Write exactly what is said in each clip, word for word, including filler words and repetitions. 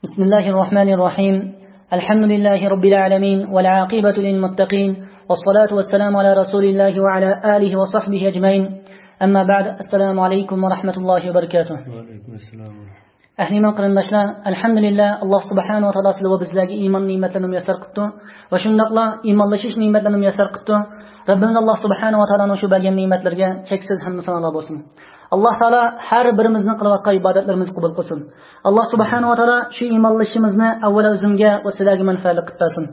بسم الله الرحمن الرحيم. الحمد لله رب العالمين، والعاقبة للمتقين، والصلاة والسلام على رسول الله وعلى آله وصحبه أجمعين. أما بعد، السلام عليكم ورحمة الله وبركاته. ۋەئەلەيكۇم ئەسسالام. ئەھلى ئىمان قېرىنداشلار، ئەلھەمدۇلىللا، ئاللا سۇبھانەھۇ ۋە تائالا سىلەرگە بىزلەرگە ئىمان نېمەتلىرىنى مۇيەسسەر قىپتۇ ۋە شۇنداقلا ئىمانلىشىش نېمەتلىرىنى مۇيەسسەر قىپتۇ. رەببىمىز ئاللا سۇبھانەھۇ ۋە تائالانىڭ شۇ بەرگەن نېمەتلىرىگە چەكسىز ھەمدۇ سانالار بولسۇن. ئاللا تائالا ھەر بىرىمىزنىڭ قىلىۋاتقان ئىبادەتلىرىمىزنى قوبۇل قىلسۇن. ئاللا سۇبھانەھۇ ۋە تائالا شۇ ئىمانلىشىشىمىزنى ئەۋۋەل ئۆزۈمگە ۋە سىلەرگە مەنپەئەتلىك قىلىپ بەرسۇن.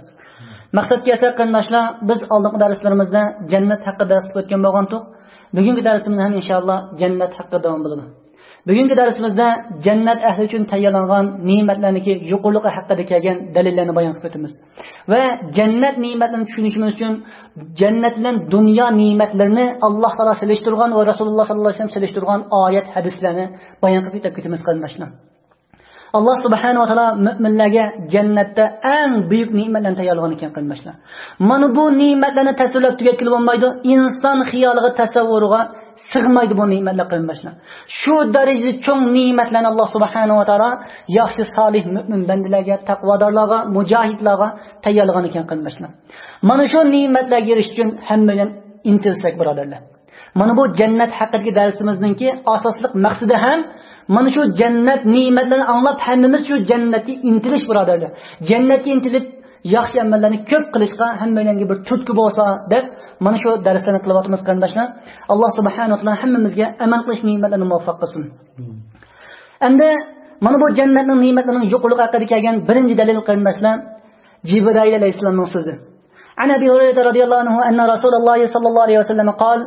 مەقسەتكە كەلسەك قېرىنداشلار، بىز ئالدىنقى دەرسلىرىمىزدە جەننەت ھەققىدە دەرس ئۆتكەن بولغانتۇق. بۈگۈنكى دەرسىمىزدە ھەم ئىنشائاللا جەننەت ھەققىدە داۋام بولىدۇ. بۈگۈنكى دەرسىمىزدە جەننەت ئەھلى ئۈچۈن تەييارلانغان نېمەتلەرنىڭكى يۇقىرىلىقى ھەققىدە كەلگەن دەلىللەرنى بايان قىلىپ ئۆتىمىز. ۋە جەننەت نېمەتلىرىنى چۈشىنىشىمىز ئۈچۈن جەننەت بىلەن دۇنيا نېمەتلىرىنى ئاللا تائالا سېلىشتۇرغان ۋە رەسۇلۇللا ساللاللاھۇ ئەلەيھى ۋەسەللەم سېلىشتۇرغان ئايەت، ھەدىسلەرنى بايان قىلىپ ئۆتۈپ كېتىمىز قېرىنداشلار. ئاللا سۇبھانەھۇ ۋە تائالا مۆمىنلەرگە جەننەتتە ئەڭ بۈيۈك نېمەتلەرنى تەييارلىغان ئىكەن قېرىنداشلار. مانا بۇ نېمەتلەرنى تەسۋىرلەپ تۈگەتكىلى بولمايدۇ. ئىنسان خىيالىغا، تەسەۋۋۇرىغا سىغمايدۇ بۇ نېمەتلەر قېرىنداشلار. شۇ دەرىجىدە چوڭ نېمەتلەرنى ئاللا سۇبھانەھۇ ۋە تائالا ياخشى، سالىھ، مۆمىن بەندىلەرگە، تەقۋادارلارغا، مۇجاھىدلارغا تەييارلىغان ئىكەن قېرىنداشلار. مانا شۇ نېمەتلەرگە ئېرىشىش ئۈچۈن ھەممەيلەن ئىنتىلسەك بۇرادەرلەر. مانا بۇ جەننەت ھەققىدىكى دەرسىمىزنىڭكى ئاساسلىق مەقسىتى ھەم مانا شۇ جەننەت نېمەتلىرىنى ئاڭلاپ ھەممىمىز شۇ جەننەتكە ئىنتىلىش بۇرادەرلەر. جەننەتكە ئىنتىلىپ ياخشى ئەمەللەرنى كۆپ قىلىشقا ھەممەيلەنگە بىر تۈرتكە بولسا دەپ مانا شۇ دەرسلەرنى قىلىۋاتىمىز قېرىنداشلار. ئاللا سۇبھانەھۇ ۋە تائالا ھەممىمىزگە ئەمەل قىلىش نېمەتلىرىنى مۇۋەپپەق قىلسۇن. ئەمدى مانا بۇ جەننەتنىڭ نېمەتلىرىنىڭ يۇقىرىلىقى ھەققىدە كەلگەن بىرىنچى دەلىل قېرىنداشلار، جىبرائىل ئەلەيھىسسالامنىڭ سۆزى. عن أبي هريرة رضي الله عنه أن رسول الله صلى الله عليه وسلم قال: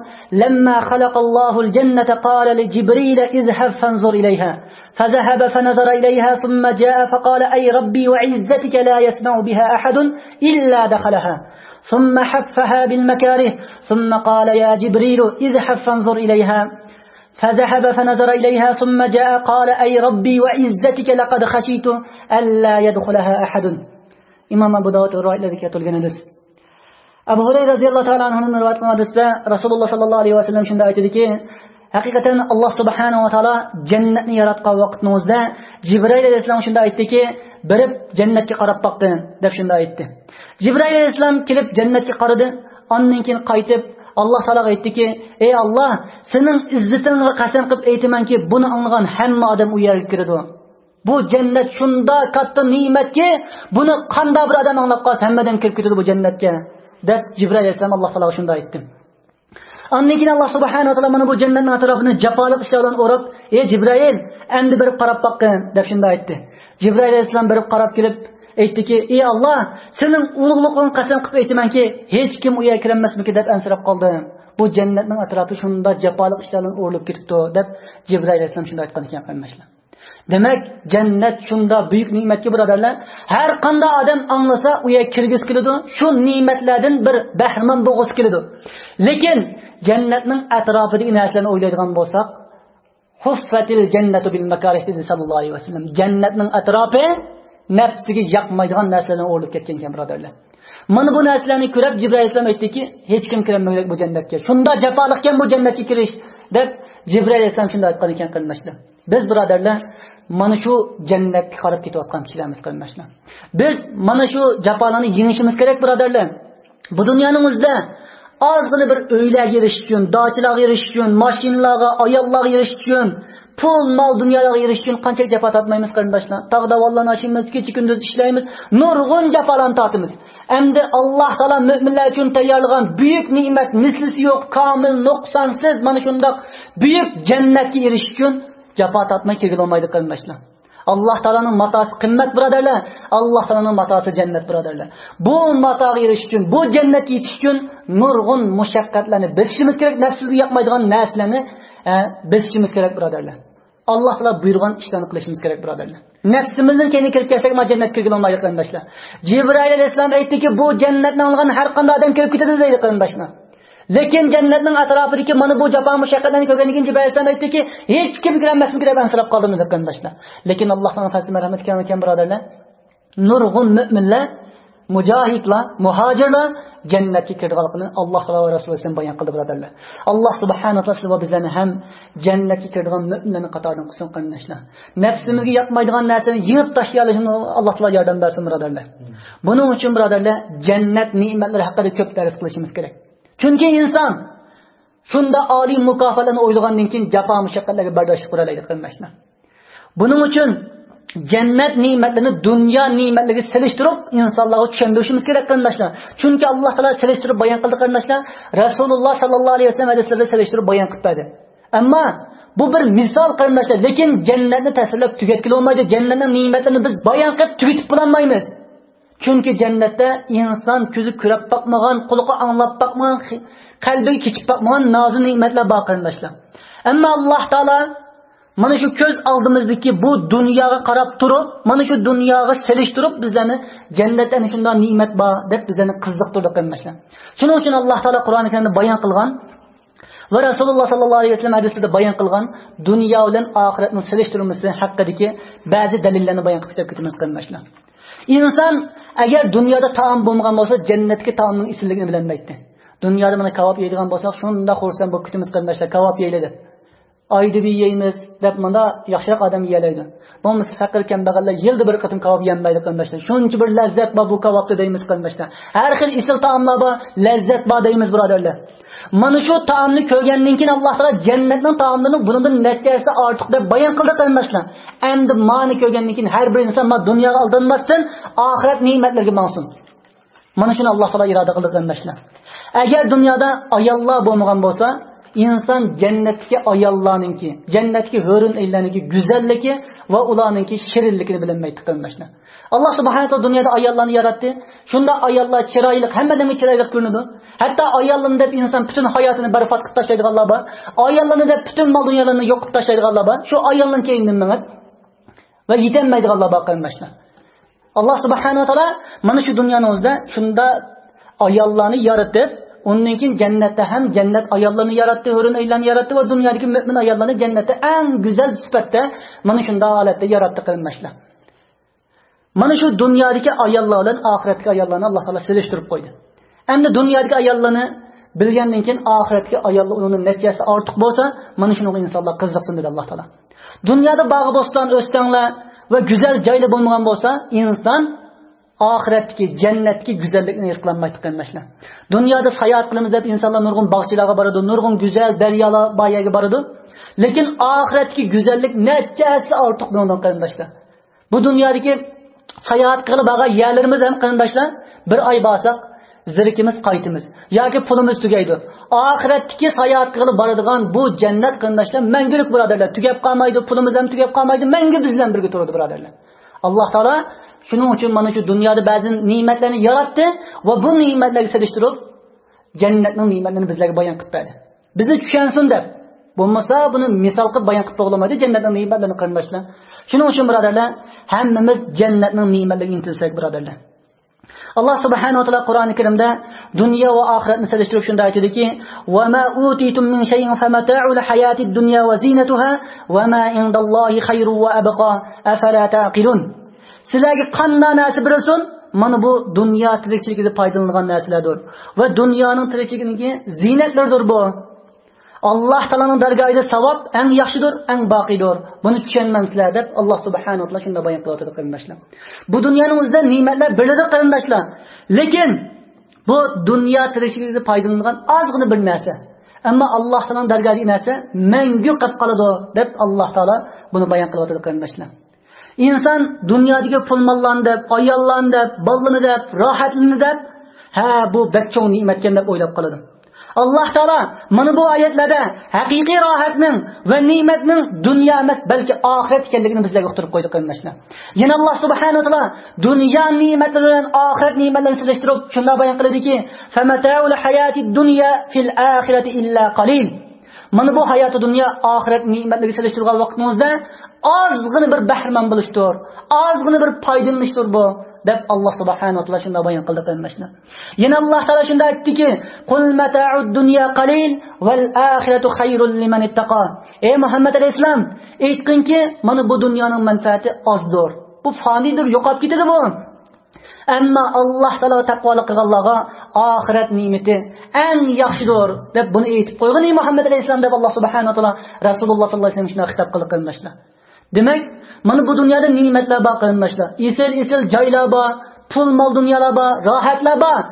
لما خلق الله الجنة قال لجبريل: اذهب فانظر إليها. فذهب فنظر إليها ثم جاء فقال: أي ربي وعزتك لا يسمع بها أحد إلا دخلها. ثم حفها بالمكاره ثم قال: يا جبريل اذهب فانظر إليها. فذهب فنظر إليها ثم جاء قال: أي ربي وعزتك لقد خشيت ألا يدخلها أحد. ئىمام ئەبۇ داۋۇد رىۋايەتلىرىدە كەلتۈرگەن ھەدىس. ئەبۇ ھۇرەيرە رەزىياللاھۇ تائالا ئەنھۇدىن رىۋايەت قىلىنغان ھەدىستە رەسۇلۇللا ساللاللاھۇ ئەلەيھى ۋەسەللەم شۇنداق ئېيتتىكى، ھەقىقەتەن ئاللا سۇبھانەھۇ ۋە تائالا جەننەتنى ياراتقان ۋاقتىنىڭ ئۆزىدە جىبرىئىل ئەلەيھىسسالامغا شۇنداق ئېيتتىكى، بېرىپ جەننەتكە قاراپ باققىن دەپ شۇنداق ئېيتتى. جىبرىئىل ئەلەيھىسسالام كېلىپ جەننەتكە قارىدى، ئاندىن كېيىن قايتىپ ئاللا تائالاغا ئېيتتىكى، ئەي ئاللا، سېنىڭ ئىززىتىڭگە قەسەم قىلىپ ئېيتىمەنكى، بۇنى ئاڭلىغان ھەممە ئادەم ئۇ يەرگە كىرىدۇ. بۇ جەننەت شۇنداق كاتتا نېمەتكى، بۇنى قانداق بىر ئادەم ئاڭلاپ قالسا، ھەممە ئادەم كىرىپ كېتىدۇ بۇ جەننەتكە، دەپ جىبرىئىل ئەلەيھىسسالام ئاللا تائالاغا شۇنداق ئېيتتى. ئاندىن كېيىن ئاللا سۇبھانەھۇ ۋە تائالا مانا بۇ جەننەتنىڭ ئەتراپىنى جاپالىق ئىشلار بىلەن ئوراپ، ئەي جىبرىئىل، ئەمدى بېرىپ قاراپ باققىن، دەپ شۇنداق ئېيتتى. جىبرىئىل ئەلەيھىسسالام بېرىپ قاراپ كېلىپ ئېيتتىكى، ئەي ئاللا، سېنىڭ ئۇلۇغلۇقۇڭغا قەسەم قىلىپ ئېيتىمەنكى، ھېچكىم ئۇ يەرگە كىرەلمەسمىكىن دەپ ئەنسىرەپ قالدىم. بۇ جەننەتنىڭ ئەتراپى شۇنداق جاپالىق ئىشلار بىلەن ئورىلىپ كېتىپتۇ، دەپ جىبرىئىل ئەلەيھىسسالام شۇنداق ئېيتقان ئىكەن قېرىنداشلار. دېمەك، جەننەت شۇنداق بۈيۈك نېمەتكى بۇرادەرلەر، ھەر قانداق ئادەم ئاڭلىسا ئۇ يەرگە كىرگۈسى كېلىدۇ، شۇ نېمەتلەردىن بىر بەھرىمەن بولغۇسى كېلىدۇ. لېكىن جەننەتنىڭ ئەتراپىدىكى نەرسىلەرنى ئويلايدىغان بولساق، حفت الجنة بالمكاره دېدى ساللاللاھۇ ئەلەيھى ۋەسەللەم. جەننەتنىڭ ئەتراپى نەپسىگە ياقمايدىغان نەرسىلەر بىلەن ئورىلىپ كەتكەن ئىكەن بۇرادەرلەر. مانا بۇ نەرسىلەرنى كۆرۈپ جىبرىئىل ئەلەيھىسسالام ئېيتتىكى، ھېچكىم كىرەلمىگۈدەك بۇ جەننەتكە، شۇنداق جاپالىقكەن بۇ جەننەتكە كىرىش، دەپ جىبرىئىل ئەلەيھىسسالام شۇنداق ئېيتقان ئىكەن قېرىنداشلار. بىز بۇرادەرلەر مانا شۇ جەننەتكە قاراپ كېتىۋاتقان كىشىلەرمىز قېرىنداشلار. بىز مانا شۇ جاپالارنى يېڭىشىمىز كېرەك بۇرادەرلەر. بۇ دۇنيانىڭ ئۆزىدە ئازغىنە بىر ئۆيلەرگە ئېرىشىش ئۈچۈن، داچىلارغا ئېرىشىش ئۈچۈن، ماشىنىلارغا، ئاياللارغا ئېرىشىش ئۈچۈن، پۇل، مال، دۇنيالارغا ئېرىشىش ئۈچۈن قانچىلىك جاپا تارتمايمىز قېرىنداشلار؟ تاغ داۋانلارنى ئاشىمىز، كېچە كۈندۈز ئىشلەيمىز، نۇرغۇن جاپالارنى تارتىمىز. ئەمدى ئاللا تائالا مۆمىنلەر ئۈچۈن تەييارلىغان بۈيۈك نېمەت، مىسلىسى يوق، كامىل، نۇقسانسىز مانا شۇنداق بۈيۈك جەننەتكە ئېرىشىش ئۈچۈن جاپا تارتماي كىرگىلى بولمايدۇ قېرىنداشلار. ئاللا تائالانىڭ ماتاسى قىممەت بۇرادەرلەر. ئاللا تائالانىڭ ماتاسى جەننەت بۇرادەرلەر. بۇ ماتاغا ئېرىشىش ئۈچۈن، بۇ جەننەتكە يېتىش ئۈچۈن نۇرغۇن مۇشەققەتلەرنى بېسىشىمىز كېرەك، نەپسىمىزگە ياقمايدىغان نەرسىلەرنى، ئە، بېسىشىمىز كېرەك بۇرادەرلەر. ئاللا تائالا بۇيرۇغان ئىشلارنى قىلىشىمىز كېرەك بۇرادەرلەر. نەپسىمىزنىڭ كەينىگە كىرىپ كەتسەك، ما جەننەتكە كىرگىلى بولمايدۇ قېرىنداشلار. جىبرىئىل ئەلەيھىسسالام ئېيتتىكى، بۇ جەننەتنى ئاڭلىغان ھەر قانداق ئادەم كىرىپ كېتىدۇ دەيدۇ قېرىنداشلار. لېكىن جەننەتنىڭ ئەتراپىدىكى مانا بۇ جاپا مۇشەققەتلەرنى كۆرگەندىن كېيىن جىبرىئىل ئەلەيھىسسالام ئېيتتىكى، ھېچكىم كىرەلمەسمىكىن دەپ ئەنسىرەپ قالدىم دېدى قېرىنداشلار. لېكىن ئاللا تائالانىڭ پەزلى مەرھەمىتى كەڭ ئىكەن بۇرادەرلەر. نۇرغۇن مۆمىنلەر مۇجاھىدلار، مۇھاجىرلار جەننەتكە كىرىدىغانلىقىنى ئاللاھ تائالا ۋە رەسۇلى بايان قىلدى، بۇرادەرلەر. ئاللاھ سۇبھانەھۇ ۋە تائالا سىلەر ۋە بىزلەرنى ھەم جەننەتكە كىرىدىغان مۆمىنلەرنىڭ قاتارىدىن قىلسۇن، قېرىنداشلار. نەپسىمىزگە ياقمايدىغان نەرسىنى يېڭىپ تاشلىيالىشىمىزغا ئاللاھ تائالا ياردەم بەرسۇن، بۇرادەرلەر. بۇنىڭ ئۈچۈن، بۇرادەرلەر، جەننەت نېمەتلىرى ھەققىدە كۆپ دەرس قىلىشىمىز كېرەك. چۈنكى ئىنسان شۇنداق ئالىي مۇكاپاتلارنى ئويلىغاندىن كېيىن جاپا مۇشەققەتلەرگە بەرداشلىق بېرەلەيدۇ، قېرىنداشلار. بۇنىڭ ئۈچۈن جەننەت نېمەتلىرىنى دۇنيا نېمەتلىرىگە سېلىشتۇرۇپ ئىنسانلارغا چۈشەندۈرۈشىمىز كېرەك، قېرىنداشلار. چۈنكى ئاللاھ تائالا سېلىشتۇرۇپ بايان قىلدى، قېرىنداشلار. رەسۇلۇللاھ ساللاللاھۇ ئەلەيھى ۋەسەللەم ھەدىسلىرىدە سېلىشتۇرۇپ بايان قىلىپ بەردى. ئەمما بۇ بىر مىسال، قېرىنداشلار، لېكىن جەننەتنى تەسۋىرلەپ تۈگەتكىلى بولمايدۇ. جەننەتنىڭ نېمەتلىرىنى بىز بايان قىلىپ تۈگىتىپ بولالمايمىز. چۈنكى جەننەتتە ئىنسان كۆزى كۆرۈپ باقمىغان، قۇلىقى ئاڭلاپ باقمىغان، خى-، قەلبىگە كېچىپ باقمىغان نازۇ نېمەتلەر بار، قېرىنداشلار. ئەمما ئاللاھ تائالا مانا شۇ كۆز ئالدىمىزدىكى بۇ دۇنياغا قاراپ تۇرۇپ، مانا شۇ دۇنياغا سېلىشتۇرۇپ بىزلەرنى جەننەتتە ئەنە شۇنداق نېمەت بار دەپ بىزلەرنى قىزىقتۇردى، قېرىنداشلار. شۇنىڭ ئۈچۈن ئاللاھ تائالا قۇرئانى كەرىمدە بايان قىلغان ۋە رەسۇلۇللاھ ساللاللاھۇ ئەلەيھى ۋەسەللەم ھەدىسلىرىدە بايان قىلغان دۇنيا بىلەن ئاخىرەتنىڭ سېلىشتۇرمىسى ھەققىدىكى بەزى دەلىللەرنى بايان قىلىپ كېتىمىز، قېرىنداشلار. ئىنسان ئەگەر دۇنيادا تائام بولمىغان بولسا، جەننەتتىكى تائامنىڭ ئېسىللىكىنى بىلەلمەيتتى. دۇنيادا مانا كاۋاپ يەيدىغان بولساق، شۇنداق خۇرسەن بولۇپ كېتىمىز، قېرىنداشلار، كاۋاپ يەيلى دەپ. ئايدا بىر يەيمىز دەپ، مۇنداق ياخشىراق ئادەم يېيەلەيدۇ. بولمىسا پەقىر كەمبەغەللەر يىلدا بىر قېتىم كاۋاپ يېيەلمەيدۇ، قېرىنداشلار. شۇنچە بىر لەززەت بار بۇ كاۋاپتا دەيمىز، قېرىنداشلار. ھەر خىل ئېسىل تائاملار بار، لەززەت بار دەيمىز، بۇرادەرلەر. مانا شۇ تائامنى كۆرگەندىن كېيىن ئاللاھ تائالا جەننەتنىڭ تائاملىرىنى بۇنىڭدىن نەچچە ھەسسە ئارتۇق دەپ بايان قىلدى، قېرىنداشلار. ئەمدى مانى كۆرگەندىن كېيىن ھەر بىر ئىنسان ما دۇنياغا ئالدانماستىن ئاخىرەت نېمەتلىرىگە ماڭسۇن. مانا شۇنى ئاللاھ تائالا ئىرادە قىلدى، قېرىنداشلار. ئەگەر دۇنيادا ئاياللار بولمىغان بولسا، ئىنسان جەننەتتىكى ئاياللارنىڭكى، جەننەتتىكى ھۆرۈن ئەينلەرنىڭكى گۈزەللىكى ۋە ئۇلارنىڭكى شېرىنلىكىنى بىلەلمەيتتى، قېرىنداشلار. ئاللاھ سۇبھانەھۇ ۋە تائالا دۇنيادا ئاياللارنى ياراتتى. شۇنداق ئاياللار چىرايلىق، ھەممە ئادەمگە چىرايلىق كۆرۈنىدۇ. ھەتتا ئاياللىرىنى دەپ ئىنسان پۈتۈن ھاياتىنى بەربات قىلىپ تاشلايدىغانلار بار. ئاياللىرىنى دەپ پۈتۈن مال دۇنيالىرىنى يوق قىلىپ تاشلايدىغانلار بار. شۇ ئايالنىڭ كەينىدىن مېڭىپ ۋە يېتەلمەيدىغانلار بار، قېرىنداشلار. ئاللاھ سۇبھانەھۇ ۋە تائالا مانا شۇ دۇنيانىڭ ئۆزىدە شۇنداق ئاياللارنى يارىتىپ، ئۇندىن كېيىن جەننەتتە ھەم جەننەت ئاياللىرىنى ياراتتى، ھۆرۈن ئەينلەرنى ياراتتى ۋە دۇنيادىكى مۆمىن ئاياللارنى جەننەتتە ئەڭ گۈزەل سۈپەتتە مانا شۇنداق ھالەتتە ياراتتى، قېرىنداشلار. مانا شۇ دۇنيادىكى ئاياللار بىلەن ئاخىرەتتىكى ئاياللارنى ئاللاھ تائالا سېلىشتۇرۇپ قويدى. ئەمدى دۇنيادىكى ئاياللارنى بىلگەندىن كېيىن ئاخىرەتتىكى ئاياللار ئۇنىڭدىن نەچچە ھەسسە ئارتۇق بولسا، مانا شۇنىڭغا ئىنسانلار قىزىقسۇن دېدى ئاللاھ تائالا. دۇنيادا باغ بوستان ئۆستەڭلەر ۋە گۈزەل جايلار بولمىغان بولسا، ئىنسان ئاخىرەتتىكى، جەننەتتىكى گۈزەللىكنى ھېس قىلالمايدۇ، قېرىنداشلار. دۇنيادا ساياھەت قىلىمىز دەپ ئىنسانلار نۇرغۇن باغچىلارغا بارىدۇ، نۇرغۇن گۈزەل دەريالار بار يەرگە بارىدۇ. لېكىن ئاخىرەتتىكى گۈزەللىك نەچچە ھەسسە ئارتۇق بۇنىڭدىن، قېرىنداشلار. بۇ دۇنيادىكى ساياھەت قىلىپ بارغان يەرلىرىمىز ھەم، قېرىنداشلار، بىر ئاي بارساق زېرىكىمىز، قايتىمىز ياكى پۇلىمىز تۈگەيدۇ. ئاخىرەتتىكى ساياھەت قىلىپ بارىدىغان بۇ جەننەت، قېرىنداشلار، مەڭگۈلۈك، بۇرادەرلەر، تۈگەپ قالمايدۇ، پۇلىمىز ھەم تۈگەپ قالمايدۇ، مەڭگۈ بىز بىلەن بىرگە تۇرىدۇ، بۇرادەرلەر. ئاللاھ تائالا شۇنىڭ ئۈچۈن مانا شۇ دۇنيادا بەزى نېمەتلەرنى ياراتتى ۋە بۇ نېمەتلەرگە سېلىشتۇرۇپ جەننەتنىڭ نېمەتلىرىنى بىزلەرگە بايان قىلىپ بەردى. بىزنى چۈشەنسۇن دەپ. بولمىسا بۇنى مىسال قىلىپ بايان قىلىپ بولمايدۇ جەننەتنىڭ نېمەتلىرىنى، قېرىنداشلار. شۇنىڭ ئۈچۈن، بۇرادەرلەر، ھەممىمىز جەننەتنىڭ نېمەتلىرىگە ئىنتىلسەك، بۇرادەرلەر. ئاللاھ سۇبھانەھۇ ۋە تائالا قۇرئانى كەرىمدە دۇنيا ۋە ئاخىرەتنى سېلىشتۇرۇپ شۇنداق ئېيتىدۇكى، وما أوتيتم من شيء فمتاع الحياة الدنيا وزينتها وما عند الله خير وأبقى أفلا تعقلون. سىلەرگە قانداق نەرسە بېرىلسۇن، مانا بۇ دۇنيا تىرىكچىلىكىدە پايدىلىنىدىغان نەرسىلەردۇر ۋە دۇنيانىڭ تىرىكچىلىكىدىكى زىننەتلىرىدۇر بۇ. ئاللاھ تائالانىڭ دەرگاھىدا ساۋاب ئەڭ ياخشىدۇر، ئەڭ باقىيدۇر. بۇنى چۈشەنمەمسىلەر دەپ ئاللاھ سۇبھانەھۇ ۋە تائالا شۇنداق بايان قىلىۋاتىدۇ، قېرىنداشلار. بۇ دۇنيانىڭ ئۆزىدە نېمەتلەر بېرىلىدۇ، قېرىنداشلار. لېكىن بۇ دۇنيا تىرىكچىلىكىدە پايدىلىنىدىغان ئازغىنە بىر نەرسە. ئەمما ئاللاھ تائالانىڭ دەرگاھىدىكى نەرسە مەڭگۈ قېلىپ قالىدۇ دەپ ئاللاھ تائالا بۇنى بايان قىلىۋاتىدۇ، قېرىنداشلار. ئىنسان دۇنيادىكى پۇل-ماللارنى دەپ، ئاياللارنى دەپ، بالىلىرىنى دەپ، راھەتلىرىنى دەپ، ھە، بۇ بەك چوڭ نېمەتكەن دەپ ئويلاپ قالىدۇ. ئاللاھ تائالا مانا بۇ ئايەتلەردە ھەقىقىي راھەتنىڭ ۋە نېمەتنىڭ دۇنيا ئەمەس، بەلكى ئاخىرەت ئىكەنلىكىنى بىزلەرگە ئۇقتۇرۇپ قويدى، قېرىنداشلار. يەنە ئاللاھ سۇبھانەھۇ ۋە تائالا دۇنيا نېمەتلىرى بىلەن ئاخىرەت نېمەتلىرىنى سېلىشتۇرۇپ شۇنداق بايان قىلىدۇكى، فمتاع الحياة الدنيا في الآخرة إلا قليل. مانا بۇ ھاياتى دۇنيا ئاخىرەت نېمەتلىرىگە سېلىشتۇرغان ۋاقتىمىزدا ئازغىنە بىر بەھرىمەن بولۇشتۇر، ئازغىنە بىر پايدىلىنىشتۇر بۇ، دەپ ئاللاھ سۇبھانەھۇ ۋە تائالا شۇنداق بايان قىلدى، قېرىنداشلار. يەنە ئاللاھ تائالا شۇنداق ئېيتتىكى، قل متاع الدنيا قليل والآخرة خير لمن اتقى. ئەي مۇھەممەد ئەلەيھىسسالام، ئېيتقىنكى، مانا بۇ دۇنيانىڭ مەنپەئەتى ئازدۇر، بۇ فانىيدۇر، يوقاپ كېتىدۇ بۇ. ئەمما ئاللاھ تائالاغا تەقۋالىق قىلغانلارغا ئاخىرەت نېمىتى ئەڭ ياخشىدۇر، دەپ بۇنى ئېيتىپ قويغىنى مۇھەممەد ئەلەيھىسسالام، دەپ ئاللاھ سۇبھانەھۇ ۋە تائالا رەسۇلۇللاھ ساللاللاھۇ ئەلەيھى ۋەسەللەمگە شۇنداق خىتاب قىلدى، قېرىنداشلار. دېمەك، مانا بۇ دۇنيادا نېمەتلەر بار، قېرىنداشلار. ئېسىل، ئېسىل جايلار بار، پۇل، مال، دۇنيالار بار، راھەتلەر بار.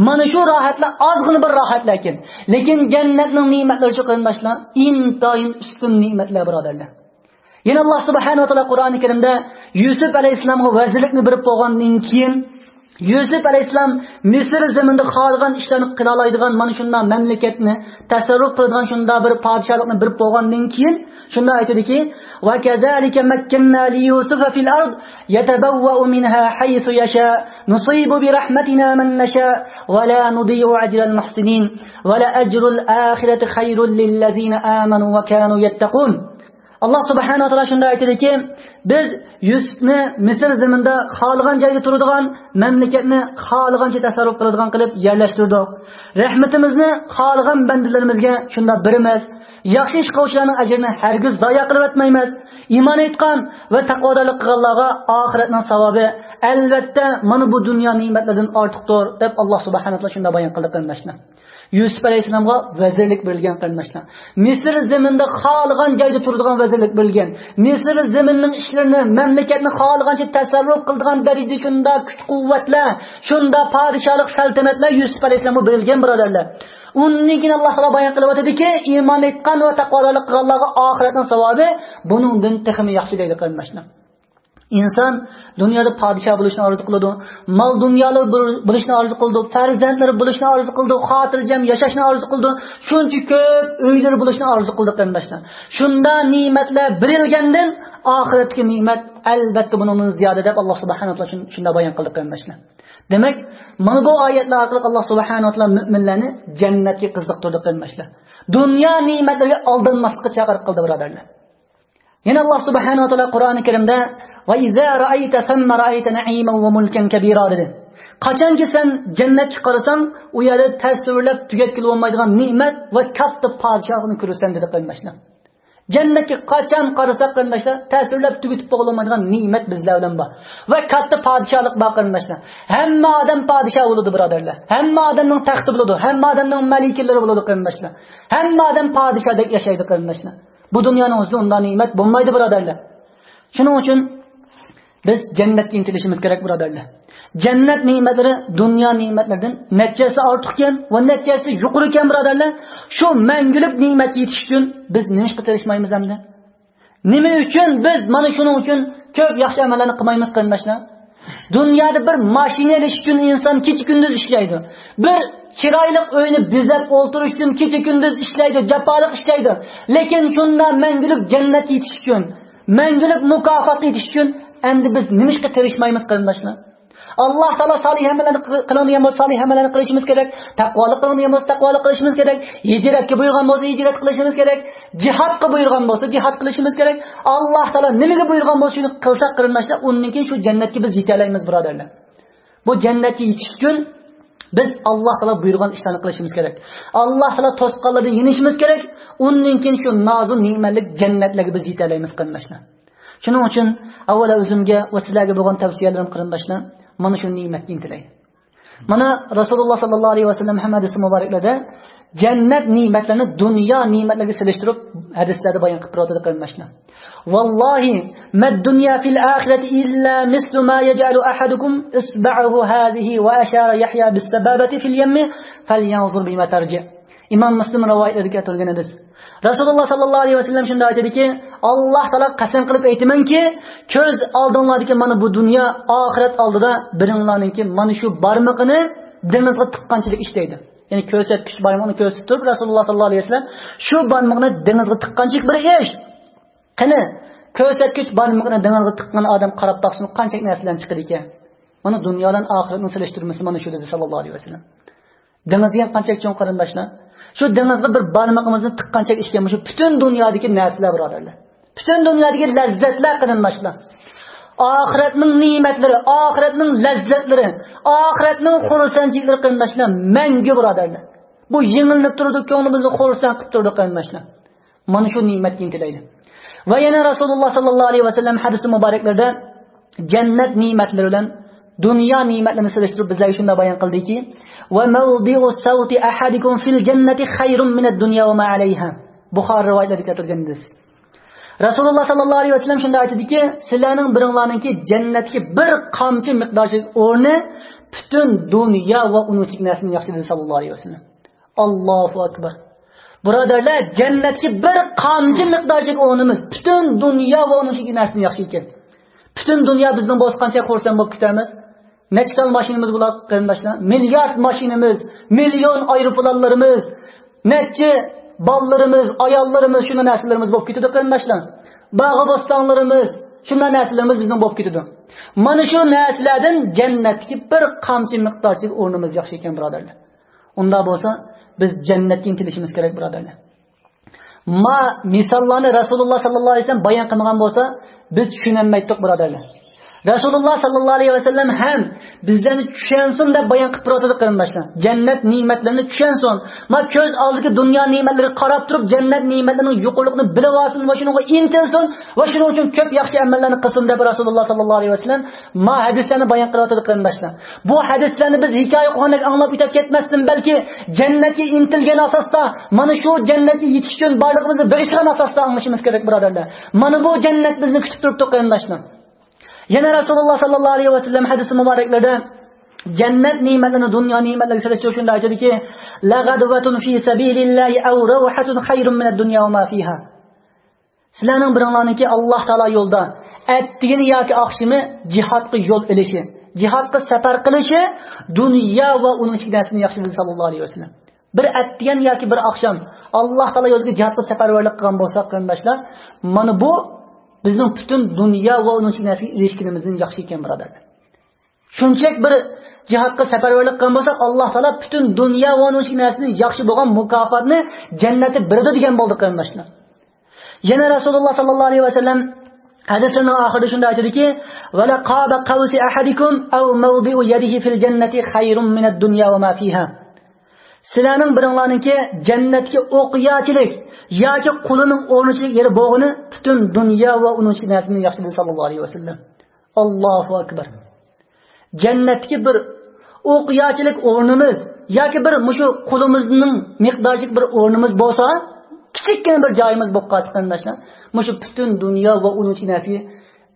مانا شۇ راھەتلەر ئازغىنە بىر راھەتلەر ئىكەن. لېكىن جەننەتنىڭ نېمەتلىرىچۇ، قېرىنداشلار، ئىنتايىن ئۈستۈن نېمەتلەر، بۇرادەرلەر. يەنە ئاللاھ سۇبھانەھۇ ۋە تائالا قۇرئانى كەرىمدە يۈسۈپ ئەلەيھىسسالامغا ۋەزىرلىكنى بېرىپ بولغاندىن كېيىن، يۈسۈپ ئەلەيھىسسالام مىسىر زېمىنىدا خالىغان ئىشلارنى قىلالايدىغان مانا شۇنداق مەملىكەتنى تەسەررۇپ قىلىدىغان شۇنداق بىر پادىشاھلىقنى بېرىپ بولغاندىن كېيىن، شۇنداق ئېيتىدۇكى، وكذلك مكنا ليوسف في الأرض يتبوأ منها حيث يشاء نصيب برحمتنا من نشاء ولا نضيع أجر المحسنين ولأجر الآخرة خير للذين آمنوا وكانوا يتقون. ئاللاھ سۇبھانەھۇ ۋە تائالا شۇنداق ئېيتىدۇكى، بىز يۈسۈپنى مىسىر زېمىنىدا خالىغان جايدا تۇرىدىغان، مەملىكەتنى خالىغانچە تەسەررۇپ قىلىدىغان قىلىپ يەرلەشتۈردۇق. رەھمىتىمىزنى خالىغان بەندىلىرىمىزگە شۇنداق بېرىمىز. ياخشى ئىش قىلغۇچىلارنىڭ ئەجرىنى ھەرگىز زايە قىلىۋەتمەيمىز. ئىمان ئېيتقان ۋە تەقۋادارلىق قىلغانلارغا ئاخىرەتنىڭ ساۋابى، ئەلۋەتتە، مانا بۇ دۇنيا نېمەتلىرىدىن ئارتۇقتۇر، دەپ ئاللاھ سۇبھانەھۇ ۋە تائالا شۇنداق بايان قىلدى، قېرىنداشلار. يۈسۈپ ئەلەيھىسسالامغا ۋەزىرلىك بېرىلگەن، قېرىنداشلار. مىسىر زېمىنىدا خالىغان جايدا تۇرىدىغان ۋەزىرلىك بېرىلگەن. مىسىر زېمىنىنىڭ ئىشلىرىنى، مەملىكەتنى خالىغانچە تەسەررۇپ قىلىدىغان دەرىجىدە شۇنداق كۈچ-قۇۋۋەتلەر، شۇنداق پادىشاھلىق سەلتەنەتلەر يۈسۈپ ئەلەيھىسسالامغا بېرىلگەن، بۇرادەرلەر. ئۇندىن كېيىن ئاللاھ تائالا بايان قىلىۋاتىدۇكى، ئىمان ئېيتقان ۋە تەقۋادارلىق قىلغانلارغا ئاخىرەتنىڭ ساۋابى بۇنىڭدىن تېخىمۇ ياخشى دەيدۇ، قېرىنداشلار. ئىنسان دۇنيادا پادىشاھ بولۇشنى ئارزۇ قىلىدۇ، مال دۇنيالار بول-، بولۇشنى ئارزۇ قىلىدۇ، پەرزەنتلىرى بولۇشنى ئارزۇ قىلىدۇ، خاتىرجەم ياشاشنى ئارزۇ قىلىدۇ، شۇنچە كۆپ ئۆيلىرى بولۇشنى ئارزۇ قىلىدۇ، قېرىنداشلار. شۇنداق نېمەتلەر بېرىلگەندىن ئاخىرەتتىكى نېمەت ئەلۋەتتە بۇنىڭدىن زىيادە، دەپ ئاللاھ سۇبھانەھۇ ۋە تائالا شۇن-، شۇنداق بايان قىلدى، قېرىنداشلار. دېمەك، مانا بۇ ئايەتلەر ئارقىلىق ئاللاھ سۇبھانەھۇ ۋە تائالا مۆمىنلەرنى جەننەتكە قىزىقتۇردى، قېرىنداشلار. دۇنيا نېمەتلىرىگە ئالدانماسلىققا چاقىرىق قىلدى، بۇرادەرلەر. يەنە ئاللاھ سۇبھانەھۇ ۋە تائالا قۇرئانى كەرىمدە، وإذا رأيت ثم رأيت نعيما وملكا كبيرا، دېدى. قاچانكى سەن جەننەتكە قارىساڭ، ئۇ يەردە تەسۋىرلەپ تۈگەتكىلى بولمايدىغان نېمەت ۋە كاتتا پادىشاھلىقنى كۆرىسەن، دېدى، قېرىنداشلار. جەننەتكە قاچان قارىساق، قېرىنداشلار، تەسۋىرلەپ تۈگىتىپ بولالمايدىغان نېمەت بىزلەر بىلەن بار. ۋە كاتتا پادىشاھلىق بار، قېرىنداشلار. ھەممە ئادەم پادىشاھ بولىدۇ، بۇرادەرلەر. ھەممە ئادەمنىڭ تەختى بولىدۇ، ھەممە ئادەمنىڭ مەلىكىلىرى بولىدۇ، قېرىنداشلار. ھەممە ئادەم پادىشاھدەك ياشايدۇ، قېرىنداشلار. بۇ دۇنيانىڭ ئۆزىدە ئۇنداق نېمەت بولمايدۇ، بۇرادەرلەر. شۇنىڭ ئۈچۈن بىز جەننەتكە ئىنتىلىشىمىز كېرەك، بۇرادەرلەر. جەننەت نېمەتلىرى دۇنيا نېمەتلىرىدىن نەچچە ھەسسە ئارتۇقكەن ۋە نەچچە ھەسسە يۇقىرىكەن، بۇرادەرلەر. شۇ مەڭگۈلۈك نېمەتكە يېتىش ئۈچۈن بىز نېمە ئىشقا تىرىشمايمىز ئەمدى؟ نېمە ئۈچۈن بىز مانا شۇنىڭ ئۈچۈن كۆپ ياخشى ئەمەللەرنى قىلمايمىز، قېرىنداشلار؟ دۇنيادا بىر ماشىنا ئېلىش ئۈچۈن ئىنسان كېچە-كۈندۈز ئىشلەيدۇ. بىر چىرايلىق ئۆينى بېزەپ ئولتۇرۇش ئۈچۈن كېچە-كۈندۈز ئىشلەيدۇ، جاپالىق ئىشلەيدۇ. لېكىن شۇنداق مەڭگۈلۈك جەننەتكە يېتىش ئۈچۈن، مەڭگۈلۈك مۇكاپاتقا يېتىش ئۈچۈن ئەمدى بىز نېمە ئىشقا تىرىشمايمىز، قېرىنداشلار؟ ئاللاھ تائالا سالىھ ئەمەللەرنى قىل-، قىلىڭ دېگەن بولسا، سالىھ ئەمەللەرنى قىلىشىمىز كېرەك. تەقۋالىق قىلىڭ دېگەن بولسا، تەقۋالىق قىلىشىمىز كېرەك. ھىجرەتكە بۇيرۇغان بولسا، ھىجرەت قىلىشىمىز كېرەك. جىھادقا بۇيرۇغان بولسا، جىھاد قىلىشىمىز كېرەك. ئاللاھ تائالا نېمىگە بۇيرۇغان بولسا، شۇنى قىلساق، قېرىنداشلار، ئۇندىن كېيىن شۇ جەننەتكە بىز يېتەلەيمىز، بۇرادەرلەر. بۇ جەننەتكە يېتىش ئۈچۈن بىز ئاللاھ تائالا بۇيرۇغان ئىشلارنى قىلىشىمىز كېرەك. ئاللاھ تائالا توسقانلىرىدىن يېنىشىمىز كېرەك. ئۇندىن كېيىن شۇ نازۇ نېمەتلىك جەننەتلەرگە بىز يېتەلەيمىز، قېرىنداشلار. شۇنىڭ ئۈچۈن ئاۋۋال ئۆزۈمگە ۋە سىلەرگە بولغان تەۋسىيەلىرىم، قېرىنداشلار، مانا شۇ نېمەتكە ئىنتىلەي. مانا رەسۇلۇللاھ ساللاللاھۇ ئەلەيھى ۋەسەللەم ھەم ھەدىسى مۇبارەكلىرىدە جەننەت نېمەتلىرىنى دۇنيا نېمەتلىرىگە سېلىشتۇرۇپ ھەدىسلەردە بايان قىلىپ تۇرۇۋاتىدۇ، قېرىنداشلار. والله ما الدنيا في الآخرة إلا مثل ما يجعل أحدكم إصبعه هذه وأشار يحيى بالسبابة في اليم فلينظر بما ترجع. ئىمام مۇسلىم رىۋايەتلىرىدە كەلتۈرۈلگەن ھەدىس. رەسۇلۇللاھ ساللاللاھۇ ئەلەيھى ۋەسەللەم شۇنداق ئېيتىدىكى، ئاللاھ تائالا قەسەم قىلىپ ئېيتىمەنكى، كۆز ئالدىڭلاردىكى مانا بۇ دۇنيا ئاخىرەت ئالدىدا بىرىڭلارنىڭكى مانا شۇ بارمىقىنى دېڭىزغا تىققانچىلىك ئىشلەيدۇ. يەنى كۆرسەتكۈچ بارمىقىنى كۆرسىتىپ تۇرۇپ رەسۇلۇللاھ ساللاللاھۇ ئەلەيھى ۋەسەللەم، شۇ بارمىقىنى دېڭىزغا تىققانچىلىك بىر ئىش. قېنى، كۆرسەتكۈچ بارمىقىنى دېڭىزغا تىققان ئادەم قاراپ باقسۇن، قانچىلىك نەرسىلەرنى چىقىدىكەن. مانا دۇنيا بىلەن ئاخىرەتنىڭ سېلىشتۇرمىسى مانا شۇ، دېدى ساللاللاھۇ ئەلەيھى ۋەسەللەم. دېڭىز دېگەن قانچىلىك چوڭ، قېرىنداشلار؟ شۇ دېڭىزغا بىر بارمىقىمىزنى تىققانچە ئىشكەن، مۇشۇ پۈتۈن دۇنيادىكى نەرسىلەر، بۇرادەرلەر. پۈتۈن دۇنيادىكى لەززەتلەر، قېرىنداشلار. ئاخىرەتنىڭ نېمەتلىرى، ئاخىرەتنىڭ لەززەتلىرى، ئاخىرەتنىڭ خۇرسەنچىلىكلىرى، قېرىنداشلار، مەڭگۈ، بۇرادەرلەر. بۇ يېڭىلىنىپ تۇرىدۇ، كۆڭلىمىزنى خۇرسەن قىلىپ تۇرىدۇ، قېرىنداشلار. مانا شۇ نېمەتكە ئىنتىلەيلى. ۋە يەنە رەسۇلۇللاھ ساللاللاھۇ ئەلەيھى ۋەسەللەم ھەدىسى مۇبارەكلىرىدە جەننەت نېمەتلىرى بىلەن دۇنيا نېمەتلىرىنى سېلىشتۇرۇپ بىزلەرگە شۇنداق بايان قىلدىكى، وموضع سوط أحدكم في الجنة خير من الدنيا وما عليها. بۇخارى رىۋايەتلىرىدە كەلتۈرگەن ھەدىس. رەسۇلۇللا ساللاللاھۇ ئەلەيھى ۋەسەللەم شۇنداق ئېيتتىكى، سىلەرنىڭ بىرىڭلارنىڭكى جەننەتتىكى بىر قامچا مىقدارچىلىك ئورنى پۈتۈن دۇنيا ۋە ئۇنىڭ ئىچىدىكى نەرسىدىن ياخشى، دېدى ساللاللاھۇ ئەلەيھى ۋەسەللەم. ئاللاھۇ ئەكبەر. بۇرادەرلەر، جەننەتتىكى بىر قامچا مىقدارچىلىك ئورنىمىز پۈتۈن دۇنيا ۋە ئۇنىڭ ئىچىدىكى نەرسىدىن ياخشى ئىكەن. پۈتۈن دۇنيا بىزنىڭ بولسا قانچە خۇرسەن بولۇپ كېتەرمىز؟ نەچچە تال ماشىنىمىز بولار، قېرىنداشلار؟ مىليارد ماشىنىمىز، مىليون ئايروپىلانلىرىمىز، نەچچە بالىلىرىمىز، ئاياللىرىمىز، شۇنداق نەرسىلىرىمىز بولۇپ كېتىدۇ، قېرىنداشلار. باغ بوستانلىرىمىز، شۇنداق نەرسىلىرىمىز بىزنىڭ بولۇپ كېتىدۇ. مانا شۇ نەرسىلەردىن جەننەتتىكى بىر قامچا مىقدارچىلىك ئورنىمىز ياخشى ئىكەن، بۇرادەرلەر. ئۇنداق بولسا، بىز جەننەتكە ئىنتىلىشىمىز كېرەك، بۇرادەرلەر. ما مىساللارنى رەسۇلۇللا ساللاللاھۇ ئەلەيھى ۋەسەللەم بايان قىلمىغان بولسا، بىز چۈشىنەلمەيتتۇق، بۇرادەرلەر. رەسۇلۇللا ساللاللاھۇ ئەلەيھى ۋەسەللەم ھەم بىزلەرنى چۈشەنسۇن دەپ بايان قىلىپ تۇرۇۋاتىدۇ، قېرىنداشلار. جەننەت نېمەتلىرىنى چۈشەنسۇن. ما كۆز ئالدىدىكى دۇنيا نېمەتلىرىگە قاراپ تۇرۇپ، جەننەت نېمەتلىرىنىڭ يۇقىرىلىقىنى بىلىۋالسۇن ۋە شۇنىڭغا ئىنتىلسۇن ۋە شۇنىڭ ئۈچۈن كۆپ ياخشى ئەمەللەرنى قىلسۇن دەپ رەسۇلۇللا ساللاللاھۇ ئەلەيھى ۋەسەللەم ما ھەدىسلەرنى بايان قىلىۋاتىدۇ، قېرىنداشلار. بۇ ھەدىسلەرنى بىز ھېكايە قىلغاندەك ئاڭلاپ ئۆتۈپ كەتمەستىن، بەلكى جەننەتكە ئىنتىلگەن ئاساستا، مانا شۇ جەننەتكە يېتىش ئۈچۈن بارلىقىمىزنى بېغىشلىغان ئاساستا ئاڭلىشىمىز كېرەك، بۇرادەرلەر. مانا بۇ جەننەت بىزنى كۈتۈپ تۇرۇپتۇ، قېرىنداشلار. يەنە رەسۇلۇللا ساللاللاھۇ ئەلەيھى ۋەسەللەم ھەدىسى مۇبارەكلىرىدە جەننەت نېمەتلىرىنى دۇنيا نېمەتلىرىگە سېلىشتۇرۇپ شۇنداق ئېيتىدىكى، لغدوة في سبيل الله أو روحة خير من الدنيا وما فيها. سىلەرنىڭ بىرىڭلارنىڭكى ئاللاھ تائالا يولىدا ئەتىگىنى ياكى ئاخشىمى جىھادقا يول ئېلىشى، جىھادقا سەپەر قىلىشى دۇنيا ۋە ئۇنىڭ ئىچىدىكى نەرسىدىن ياخشى، دېدى ساللاللاھۇ ئەلەيھى ۋەسەللەم. بىر ئەتىگەن ياكى بىر ئاخشام ئاللاھ تائالا يولىدا جىھادقا سەپەرۋەرلىك قىلغان بولساق، قېرىنداشلار، مانا بۇ بىزنىڭ پۈتۈن دۇنيا ۋە ئۇنىڭ ئىچىدىكى نەرسىگە ئېرىشكىنىمىزدىن ياخشى ئىكەن، بۇرادەرلەر. شۇنچىلىك بىر جىھادقا سەپەرۋەرلىك قىلغان بولساق، ئاللاھ تائالا پۈتۈن دۇنيا ۋە ئۇنىڭ ئىچىدىكى نەرسىدىن ياخشى بولغان مۇكاپاتنى جەننەتتە بېرىدۇ دېگەن بولدى، قېرىنداشلار. يەنە رەسۇلۇللا ساللاللاھۇ ئەلەيھى ۋەسەللەم ھەدىسىنىڭ ئاخىرىدا شۇنداق ئېيتىدىكى، ولقاب قوس أحدكم أو موضع يده في الجنة خير من الدنيا وما فيها. سىلەرنىڭ بىرىڭلارنىڭكى جەننەتتىكى ئوقياچىلىك ياكى قولىنىڭ ئورنىچىلىك يېرى بولغىنى پۈتۈن دۇنيا ۋە ئۇنىڭ ئىچىدىكى نەرسىدىن ياخشى، دېدى ساللاللاھۇ ئەلەيھى ۋەسەللەم. ئاللاھۇ ئەكبەر. جەننەتتىكى بىر ئوقياچىلىك ئورنىمىز ياكى بىر مۇشۇ قولىمىزنىڭ مىقدارىچىلىك بىر ئورنىمىز بولسا، كىچىككىنە بىر جايىمىز بولۇپ قالسا، قېرىنداشلار، مۇشۇ پۈتۈن دۇنيا ۋە ئۇنىڭ ئىچىدىكى نەرسىگە،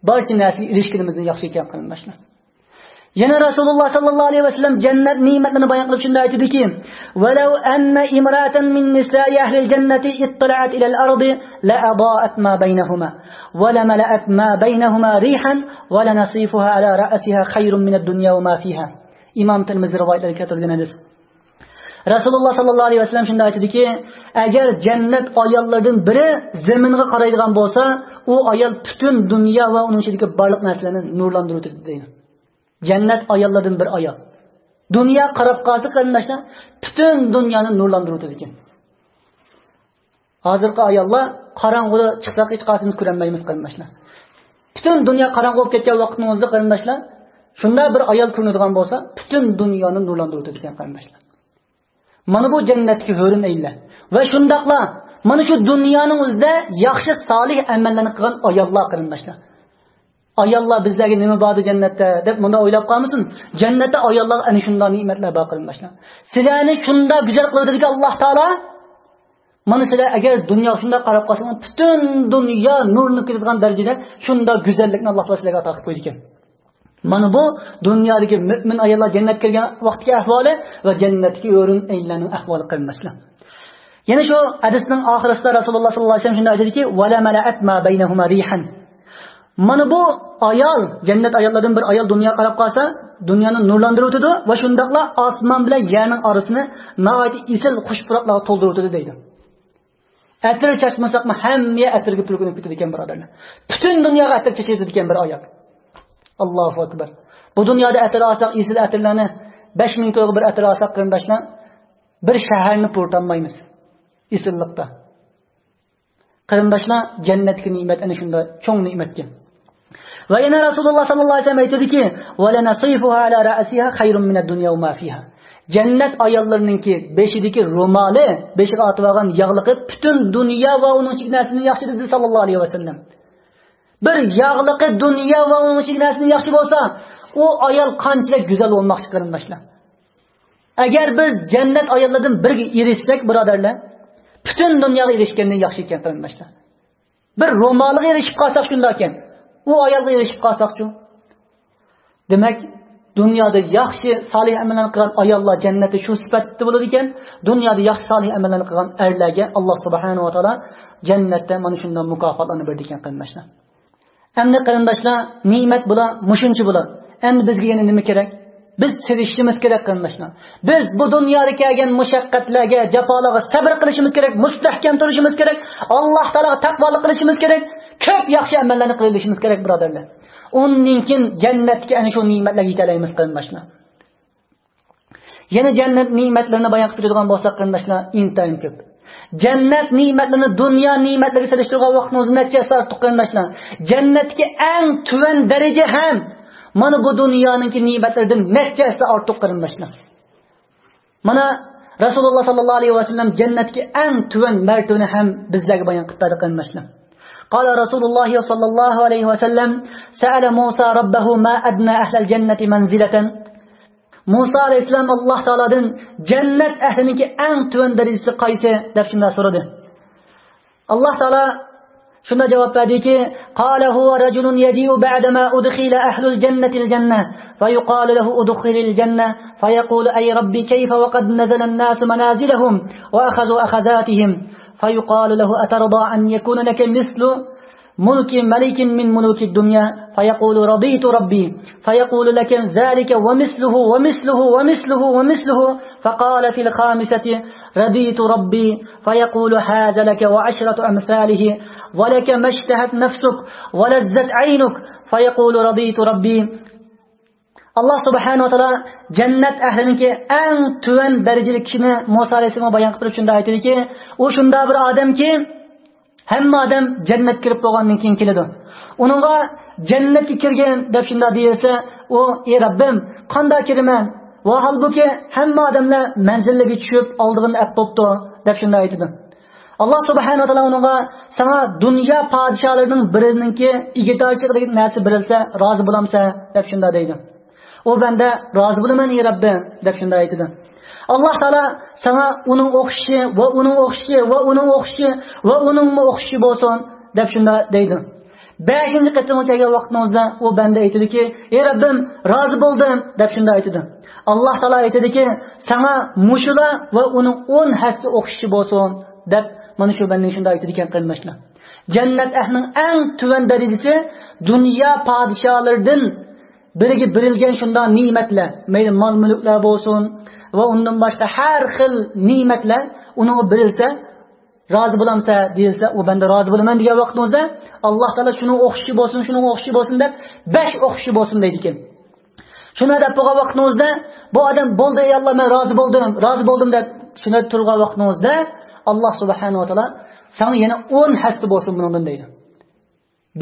بارچە نەرسىگە ئېرىشكىنىمىزدىن ياخشى ئىكەن، قېرىنداشلار. يەنە رەسۇلۇللا ساللاللاھۇ ئەلەيھى ۋەسەللەم جەننەت نېمەتلىرىنى بايان قىلىپ شۇنداق ئېيتىدىكى، ولو أن امرأة من نساء أهل الجنة اطلعت إلى الأرض لأضاءت ما بينهما ولملأت ما بينهما ريحا ولنصيفها على رأسها خير من الدنيا وما فيها. ئىمام تىرمىزى رىۋايەتلىرىدە كەلتۈرۈلگەن ھەدىس. رەسۇلۇللا ساللاللاھۇ ئەلەيھى ۋەسەللەم شۇنداق ئېيتىدىكى، ئەگەر جەننەت ئاياللىرىدىن بىرى زېمىنغا قارايدىغان بولسا، ئۇ ئايال پۈتۈن دۇنيا ۋە ئۇنىڭ ئىچىدىكى بارلىق نەرسىلەرنى نۇرلاندۇرۇۋېتىدۇ، دەيدۇ. جەننەت ئاياللىرىدىن بىر ئايال دۇنيا قاراپ قالسا، قېرىنداشلار، پۈتۈن دۇنيانى نۇرلاندۇرۇۋېتىدىكەن. ھازىرقى ئاياللار قاراڭغۇدا چىقساق ھېچقايسىمىز كۆرەلمەيمىز، قېرىنداشلار. پۈتۈن دۇنيا قاراڭغۇ بولۇپ كەتكەن ۋاقتىمىزدا، قېرىنداشلار، شۇنداق بىر ئايال كۆرۈنىدىغان بولسا، پۈتۈن دۇنيانى نۇرلاندۇرۇۋېتىدىكەن، قېرىنداشلار. مانا بۇ جەننەتتىكى ھۆرۈن ئەينلەر. ۋە شۇنداقلا مانا شۇ دۇنيانىڭ ئۆزىدە ياخشى سالىھ ئەمەللەرنى قىلغان ئاياللار، قېرىنداشلار. ئاياللار بىزلەرگە نېمە باردۇ جەننەتتە دەپ مۇنداق ئويلاپ قالمىسۇن. جەننەتتە ئاياللارغا ئەنە شۇنداق نېمەتلەر بار، قېرىنداشلار. سىلەرنى شۇنداق گۈزەل قىلىۋېتىدىكەن ئاللاھ تائالا. مانا سىلەر ئەگەر دۇنياغا شۇنداق قاراپ قالسىڭىز، پۈتۈن دۇنيا نۇرلىنىپ كېتىدىغان دەرىجىدە شۇنداق گۈزەللىكنى ئاللاھ تائالا سىلەرگە ئاتا قىلىپ قويىدىكەن. مانا بۇ دۇنيادىكى مۆمىن ئاياللار جەننەتكە كىرگەن ۋاقىتتىكى ئەھۋالى ۋە جەننەتتىكى ھۆرۈن ئەينلەرنىڭ ئەھۋالى، قېرىنداشلار. يەنە شۇ ھەدىسنىڭ ئاخىرىسىدا رەسۇلۇللا ساللاللاھۇ ئەلەيھى ۋەسەللەم شۇنداق ئېيتىدىكى، ولملأت ما بينهما ريحا. مانا بۇ ئايال، جەننەت ئاياللىرىدىن بىر ئايال دۇنياغا قاراپ قالسا، دۇنيانى نۇرلاندۇرۇۋېتىدۇ ۋە شۇنداقلا ئاسمان بىلەن يەرنىڭ ئارىسىنى ناھايىتى ئېسىل خۇش پۇراقلارغا تولدۇرۇۋېتىدۇ، دەيدۇ. ئەتىر چاچمىساقمۇ، ھەممە ئەتىرگە پۈركىنىپ كېتىدىكەن، بۇرادەرلەر. پۈتۈن دۇنياغا ئەتىر چېچىۋېتىدىكەن بىر ئايال. ئاللاھۇ ئەكبەر. بۇ دۇنيادا ئەتىر ئالساق، ئېسىل ئەتىرلەرنى، بەش مىڭ تويغا بىر ئەتىر ئالساق، قېرىنداشلار، بىر شەھەرنى پۇرىتالمايمىز ئېسىللىقتا. قېرىنداشلار، جەننەتتىكى نېمەت ئەنە شۇنداق چوڭ نېمەتكەن. ۋە يەنە رەسۇلۇللا ساللاللاھۇ ئەلەيھى ۋەسەللەم ئېيتىدىكى، ولنصيفها على رأسها خير من الدنيا وما فيها. جەننەت ئاياللىرىنىڭكى بېشىدىكى رومالى، بېشىغا ئارتىۋالغان ياغلىقى پۈتۈن دۇنيا ۋە ئۇنىڭ ئىچىدىكى نەرسىدىن ياخشى، دېدى ساللاللاھۇ ئەلەيھى ۋەسەللەم. بىر ياغلىقى دۇنيا ۋە ئۇنىڭ ئىچىدىكى نەرسىدىن ياخشى بولسا، ئۇ ئايال قانچىلىك گۈزەل بولماقچى، قېرىنداشلار. ئەگەر بىز جەننەت ئاياللىرىدىن بىرىگە ئېرىشسەك، بۇرادەرلەر، پۈتۈن دۇنياغا ئېرىشكەندىن ياخشى ئىكەن، قېرىنداشلار. بىر رومالغا ئېرىشىپ قالساق شۇنداكەن، ئۇ ئايالغا ئېرىشىپ قالساقچۇ؟ دېمەك، دۇنيادا ياخشى سالىھ ئەمەللەرنى قىلغان ئاياللار جەننەتتە شۇ سۈپەتتە بولىدىكەن، دۇنيادا ياخشى سالىھ ئەمەللەرنى قىلغان ئەرلەرگە ئاللا سۇبھانەھۇ ۋە تائالا جەننەتتە مانا شۇنداق مۇكاپاتلارنى بېرىدىكەن، قېرىنداشلار. ئەمدى قېرىنداشلار، نېمەت بۇلار، مۇشۇنچە بۇلار. ئەمدى بىزگە يەنە نېمە كېرەك؟ بىز تىرىشىشىمىز كېرەك، قېرىنداشلار. بىز بۇ دۇنيادا كەلگەن مۇشەققەتلەرگە، جاپالارغا سەبر قىلىشىمىز كېرەك، مۇستەھكەم تۇرۇشىمىز كېرەك، ئاللا تائالاغا تەقۋالىق قىلىشىمىز كېرەك، كۆپ ياخشى ئەمەللەرنى قىلىۋېلىشىمىز كېرەك، بۇرادەرلەر. ئۇندىن كېيىن جەننەتتىكى ئەنە شۇ نېمەتلەرگە يېتەلەيمىز، قېرىنداشلار. يەنە جەننەت نېمەتلىرىنى بايان قىلىپ كېتىدىغان بولساق، قېرىنداشلار، ئىنتايىن كۆپ. جەننەت نېمەتلىرىنى دۇنيا نېمەتلىرىگە سېلىشتۇرغان ۋاقتىمىزدا نەچچە ھەسسە ئارتۇق، قېرىنداشلار. جەننەتتىكى ئەڭ تۆۋەن دەرىجە ھەم مانا بۇ دۇنيانىڭكى نېمەتلىرىدىن نەچچە ھەسسە ئارتۇق، قېرىنداشلار. مانا رەسۇلۇللا ساللاللاھۇ ئەلەيھى ۋەسەللەم جەننەتتىكى ئەڭ تۆۋەن مەرتىۋىنى ھەم بىزلەرگە بايان قىلىپ بەردى، قېرىنداشلار. قال رسول الله صلى الله عليه وسلم: سأل موسى ربه ما أدنى أهل الجنة منزلة. مۇسا ئەلەيھىسسالام ئاللا تائالادىن جەننەت ئەھلىنىڭكى ئەڭ تۆۋەن دەرىجىسى قايسى دەپ شۇنداق سورىدى. ئاللا تائالا شۇنداق جاۋاب بەردىكى، قال هو رجل يجيء بعدما أدخل أهل الجنة الجنة فيقال له ادخل الجنة فيقول أي رب كيف وقد نزل الناس منازلهم وأخذوا أخذاتهم فيقال له أترضى أن يكون لك مثل ملك ملك من ملوك الدنيا فيقول رضيت ربي فيقول لك ذلك ومثله ومثله ومثله ومثله فقال في الخامسة رضيت ربي فيقول هذا لك وعشرة أمثاله ولك ما اشتهت نفسك ولذت عينك فيقول رضيت ربي. ئاللا سۇبھانەھۇ ۋە تائالا جەننەت ئەھلىنىڭكى ئەڭ تۆۋەن دەرىجىلىك كىشىنى مۇسا ئەلەيھىسسالامغا بايان قىلىپ تۇرۇپ شۇنداق ئېيتىدۇكى، ئۇ شۇنداق بىر ئادەمكى، ھەممە ئادەم جەننەتكە كىرىپ بولغاندىن كېيىن كېلىدۇ. ئۇنىڭغا جەننەتكە كىرگىن دەپ شۇنداق دېيىلسە، ئۇ، ئى رەببىم، قانداق كىرىمەن؟ ۋاھالبۇكى، ھەممە ئادەملەر مەنزىللىرىگە چۈشۈپ، ئالدىغىنى ئەپ بوپتۇ دەپ شۇنداق ئېيتىدۇ. ئاللا سۇبھانەھۇ ۋە تائالا ئۇنىڭغا، ساڭا دۇنيا پادىشاھلىرىنىڭ بىرىنىڭكى ئىگىدارچىلىقىدىكى نەرسە بېرىلسە، رازى بولامسەن دەپ شۇنداق دەيدۇ. ئۇ بەندە، رازى بولىمەن، ئى رەببىم دەپ شۇنداق ئېيتىدۇ. ئاللا تائالا ساڭا ئۇنىڭ ئوخشىشى ۋە ئۇنىڭ ئوخشىشى ۋە ئۇنىڭ ئوخشىشى ۋە ئۇنىڭمۇ ئوخشىشى بولسۇن دەپ شۇنداق دەيدۇ. بەشىنچى قېتىمغا كەلگەن ۋاقتىمىزدا ئۇ بەندە ئېيتىدۇكى، ئى رەببىم، رازى بولدۇم دەپ شۇنداق ئېيتىدۇ. ئاللا تائالا ئېيتىدىكى، ساڭا مۇشۇلار ۋە ئۇنىڭ ئون ھەسسە ئوخشىشى بولسۇن دەپ مانا شۇ بەندىگە شۇنداق ئېيتىدىكەن، قېرىنداشلار. جەننەت ئەھلىنىڭ ئەڭ تۆۋەن دەرىجىسى دۇنيا پادىشاھلىرىدىن بىرىگە بېرىلگەن شۇنداق نېمەتلەر، مەيلى مال-مۈلۈكلەر بولسۇن ۋە ئۇندىن باشقا ھەر خىل نېمەتلەر ئۇنىڭغا بېرىلسە، رازى بولامسەن دېيىلسە، ئۇ بەندە رازى بولىمەن دېگەن ۋاقتىمىزدا، ئاللا تائالا شۇنىڭ ئوخشىشى بولسۇن، شۇنىڭ ئوخشىشى بولسۇن دەپ، بەش ئوخشىشى بولسۇن دەيدىكەن. شۇنداق دەپ بولغان ۋاقتىڭىزدا، بۇ ئادەم، بولدى، ئەي ئاللا، مەن رازى بولدۇم، رازى بولدۇم دەپ شۇنداق تۇرغان ۋاقتىڭىزدا، ئاللا سۇبھانەھۇ ۋە تائالا ساڭا يەنە ئون ھەسسە بولسۇن بۇنىڭدىن دەيدۇ.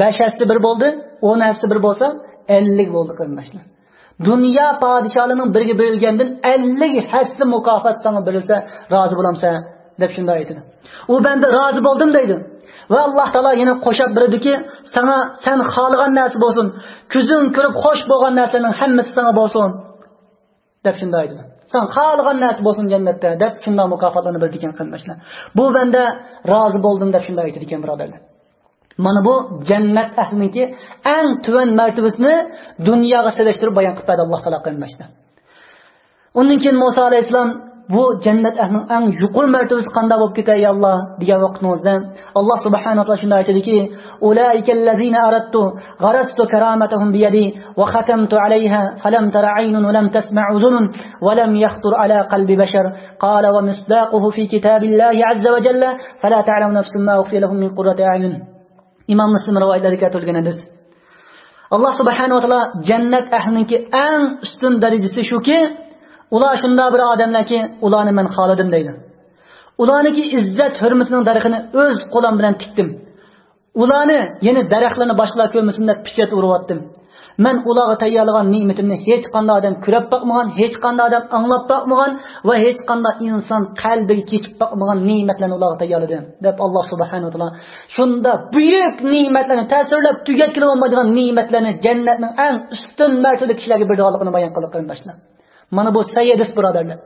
بەش ھەسسە بىر بولدى، ئون ھەسسە بىر بولسا، ئەللىك بولدى، قېرىنداشلار. دۇنيا پادىشاھلىرىنىڭ بىرىگە بېرىلگەندىن ئەللىك ھەسسە مۇكاپات ساڭا بېرىلسە، رازى بولامسەن دەپ شۇنداق ئېيتىدۇ. ئۇ بەندە رازى بولدۇم دەيدۇ. ۋە ئاللا تائالا يەنە قوشاپ بېرىدۇكى، ساڭا سەن خالىغان نەرسە بولسۇن، كۆزۈڭ كۆرۈپ خوش بولغان نەرسىنىڭ ھەممىسى ساڭا بولسۇن دەپ شۇنداق ئېيتىدۇ. ساڭا خالىغان نەرسە بولسۇن جەننەتتە دەپ شۇنداق مۇكاپاتلارنى بېرىدىكەن، قېرىنداشلار. بۇ بەندە رازى بولدۇم دەپ شۇنداق ئېيتىدىكەن، بۇرادەرلەر. مانا بۇ جەننەت ئەھلىنىڭكى ئەڭ تۆۋەن مەرتىۋىسىنى دۇنياغا سېلىشتۇرۇپ بايان قىلىپ بەردى ئاللا تائالا، قېرىنداشلار. ئۇندىن كېيىن مۇسا ئەلەيھىسسالام، بۇ جەننەت ئەھلىنىڭ ئەڭ يۇقىرى مەرتىۋىسى قانداق بولۇپ كېتەي، يا ئاللا، دېگەن ۋاقتىمىزدا، ئاللا سۇبھانەھۇ ۋە تائالا شۇنداق ئېيتىدىكى، أولئك الذين أردت غرست كرامتهم بيدي وختمت عليها فلم تر عين ولم تسمع أذن ولم يخطر على قلب بشر. قال ومصداقه في كتاب الله عز وجل فلا تعلم نفس ما أخفي لهم من قرة أعين. ئىمام مۇسلىم رىۋايەتلىرىدە كەلتۈرۈلگەن ھەدىس. ئاللا سۇبھانەھۇ ۋە تائالا جەننەت ئەھلىنىڭكى ئەڭ ئۈستۈن دەرىجىسى شۇكى، ئۇلار شۇنداق بىر ئادەملەركى، ئۇلارنى مەن خالىدىم دەيدۇ. ئۇلارنىڭكى ئىززەت ھۆرمىتىنىڭ دەرىخىنى ئۆز قولۇم بىلەن تىكتىم. ئۇلارنى، يەنى دەرەخلىرىنى باشقىلار كۆرمىسۇن دەپ پېچەت ئۇرۇۋەتتىم. مەن ئۇلارغا تەييارلىغان نېمىتىمنى ھېچقانداق ئادەم كۆرۈپ باقمىغان، ھېچقانداق ئادەم ئاڭلاپ باقمىغان ۋە ھېچقانداق ئىنسان قەلبىگە كېچىپ باقمىغان نېمەتلەرنى ئۇلارغا تەييارلىدىم، دەپ ئاللاھ سۇبھانەھۇ ۋە تائالا شۇنداق بۈيۈك نېمەتلەرنى، تەسۋىرلەپ تۈگەتكىلى بولمايدىغان نېمەتلەرنى جەننەتنىڭ ئەڭ ئۈستۈن مەرتىۋىلىك كىشىلەرگە بېرىدىغانلىقىنى بايان قىلدى، قېرىنداشلار. مانا بۇ سەھىھ ھەدىس، بۇرادەرلەر.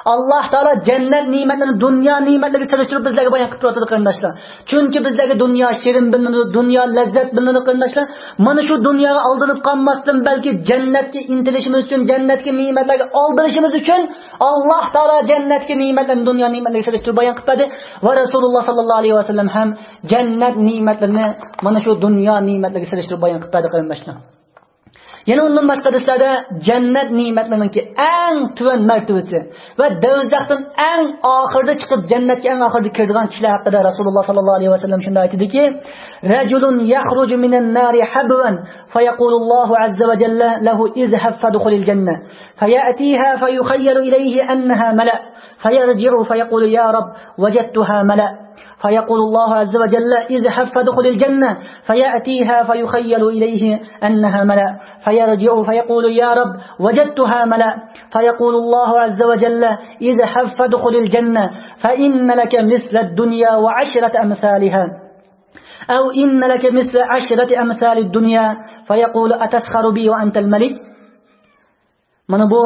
ئاللاھ تائالا جەننەت نېمەتلىرىنى دۇنيا نېمەتلىرىگە سېلىشتۇرۇپ بىزلەرگە بايان قىلىپ تۇرۇۋاتىدۇ، قېرىنداشلار. چۈنكى بىزلەرگە دۇنيا شېرىن بىلىنىدۇ، دۇنيا لەززەت بىلىنىدۇ، قېرىنداشلار. مانا شۇ دۇنياغا ئالدىنىپ قالماستىن، بەلكى جەننەتكە ئىنتىلىشىمىز ئۈچۈن، جەننەتكە نېمەتلەرگە ئالدىنىشىمىز ئۈچۈن ئاللاھ تائالا جەننەتكە نېمەتلەرنى دۇنيا نېمەتلىرىگە سېلىشتۇرۇپ بايان قىلىپ بەردى. ۋە رەسۇلۇللاھ ساللاللاھۇ ئەلەيھى ۋەسەللەم ھەم جەننەت نېمەتلىرىنى مانا شۇ دۇنيا نېمەتلىرىگە سېلىشتۇرۇپ بايان قىلىپ بەردى، قېرىنداشلار. يەنە ئۇندىن باشقا ھەدىسلەردە جەننەت نېمەتلىرىنىڭكى ئەڭ تۆۋەن مەرتىۋىسى ۋە دوزاختىن ئەڭ ئاخىرىدا چىقىپ، جەننەتكە ئەڭ ئاخىرىدا كىرىدىغان كىشىلەر ھەققىدە رەسۇلۇللاھ ساللاللاھۇ ئەلەيھى ۋەسەللەم شۇنداق ئېيتتىكى، رەجۇلۇن يەخرۇجۇ مىنەن نارى ھەبۋەن فيقول الله عز وجل له اذهب فادخل الجنة فيأتيها فيخيل إليه أنها ملأ فيرجع فيقول يا رب وجدتها ملأ فيقول الله عز وجل اذهب فادخل الجنة فيأتيها فيخيل إليه أنها ملأ فيرجع فيقول يا رب وجدتها ملأ فيقول الله عز وجل اذهب فادخل الجنة فإن لك مثل الدنيا وعشرة أمثالها أو إن لك مثل عشرة أمثال الدنيا فيقول أتسخر بي وأنت الملك مانا بۇ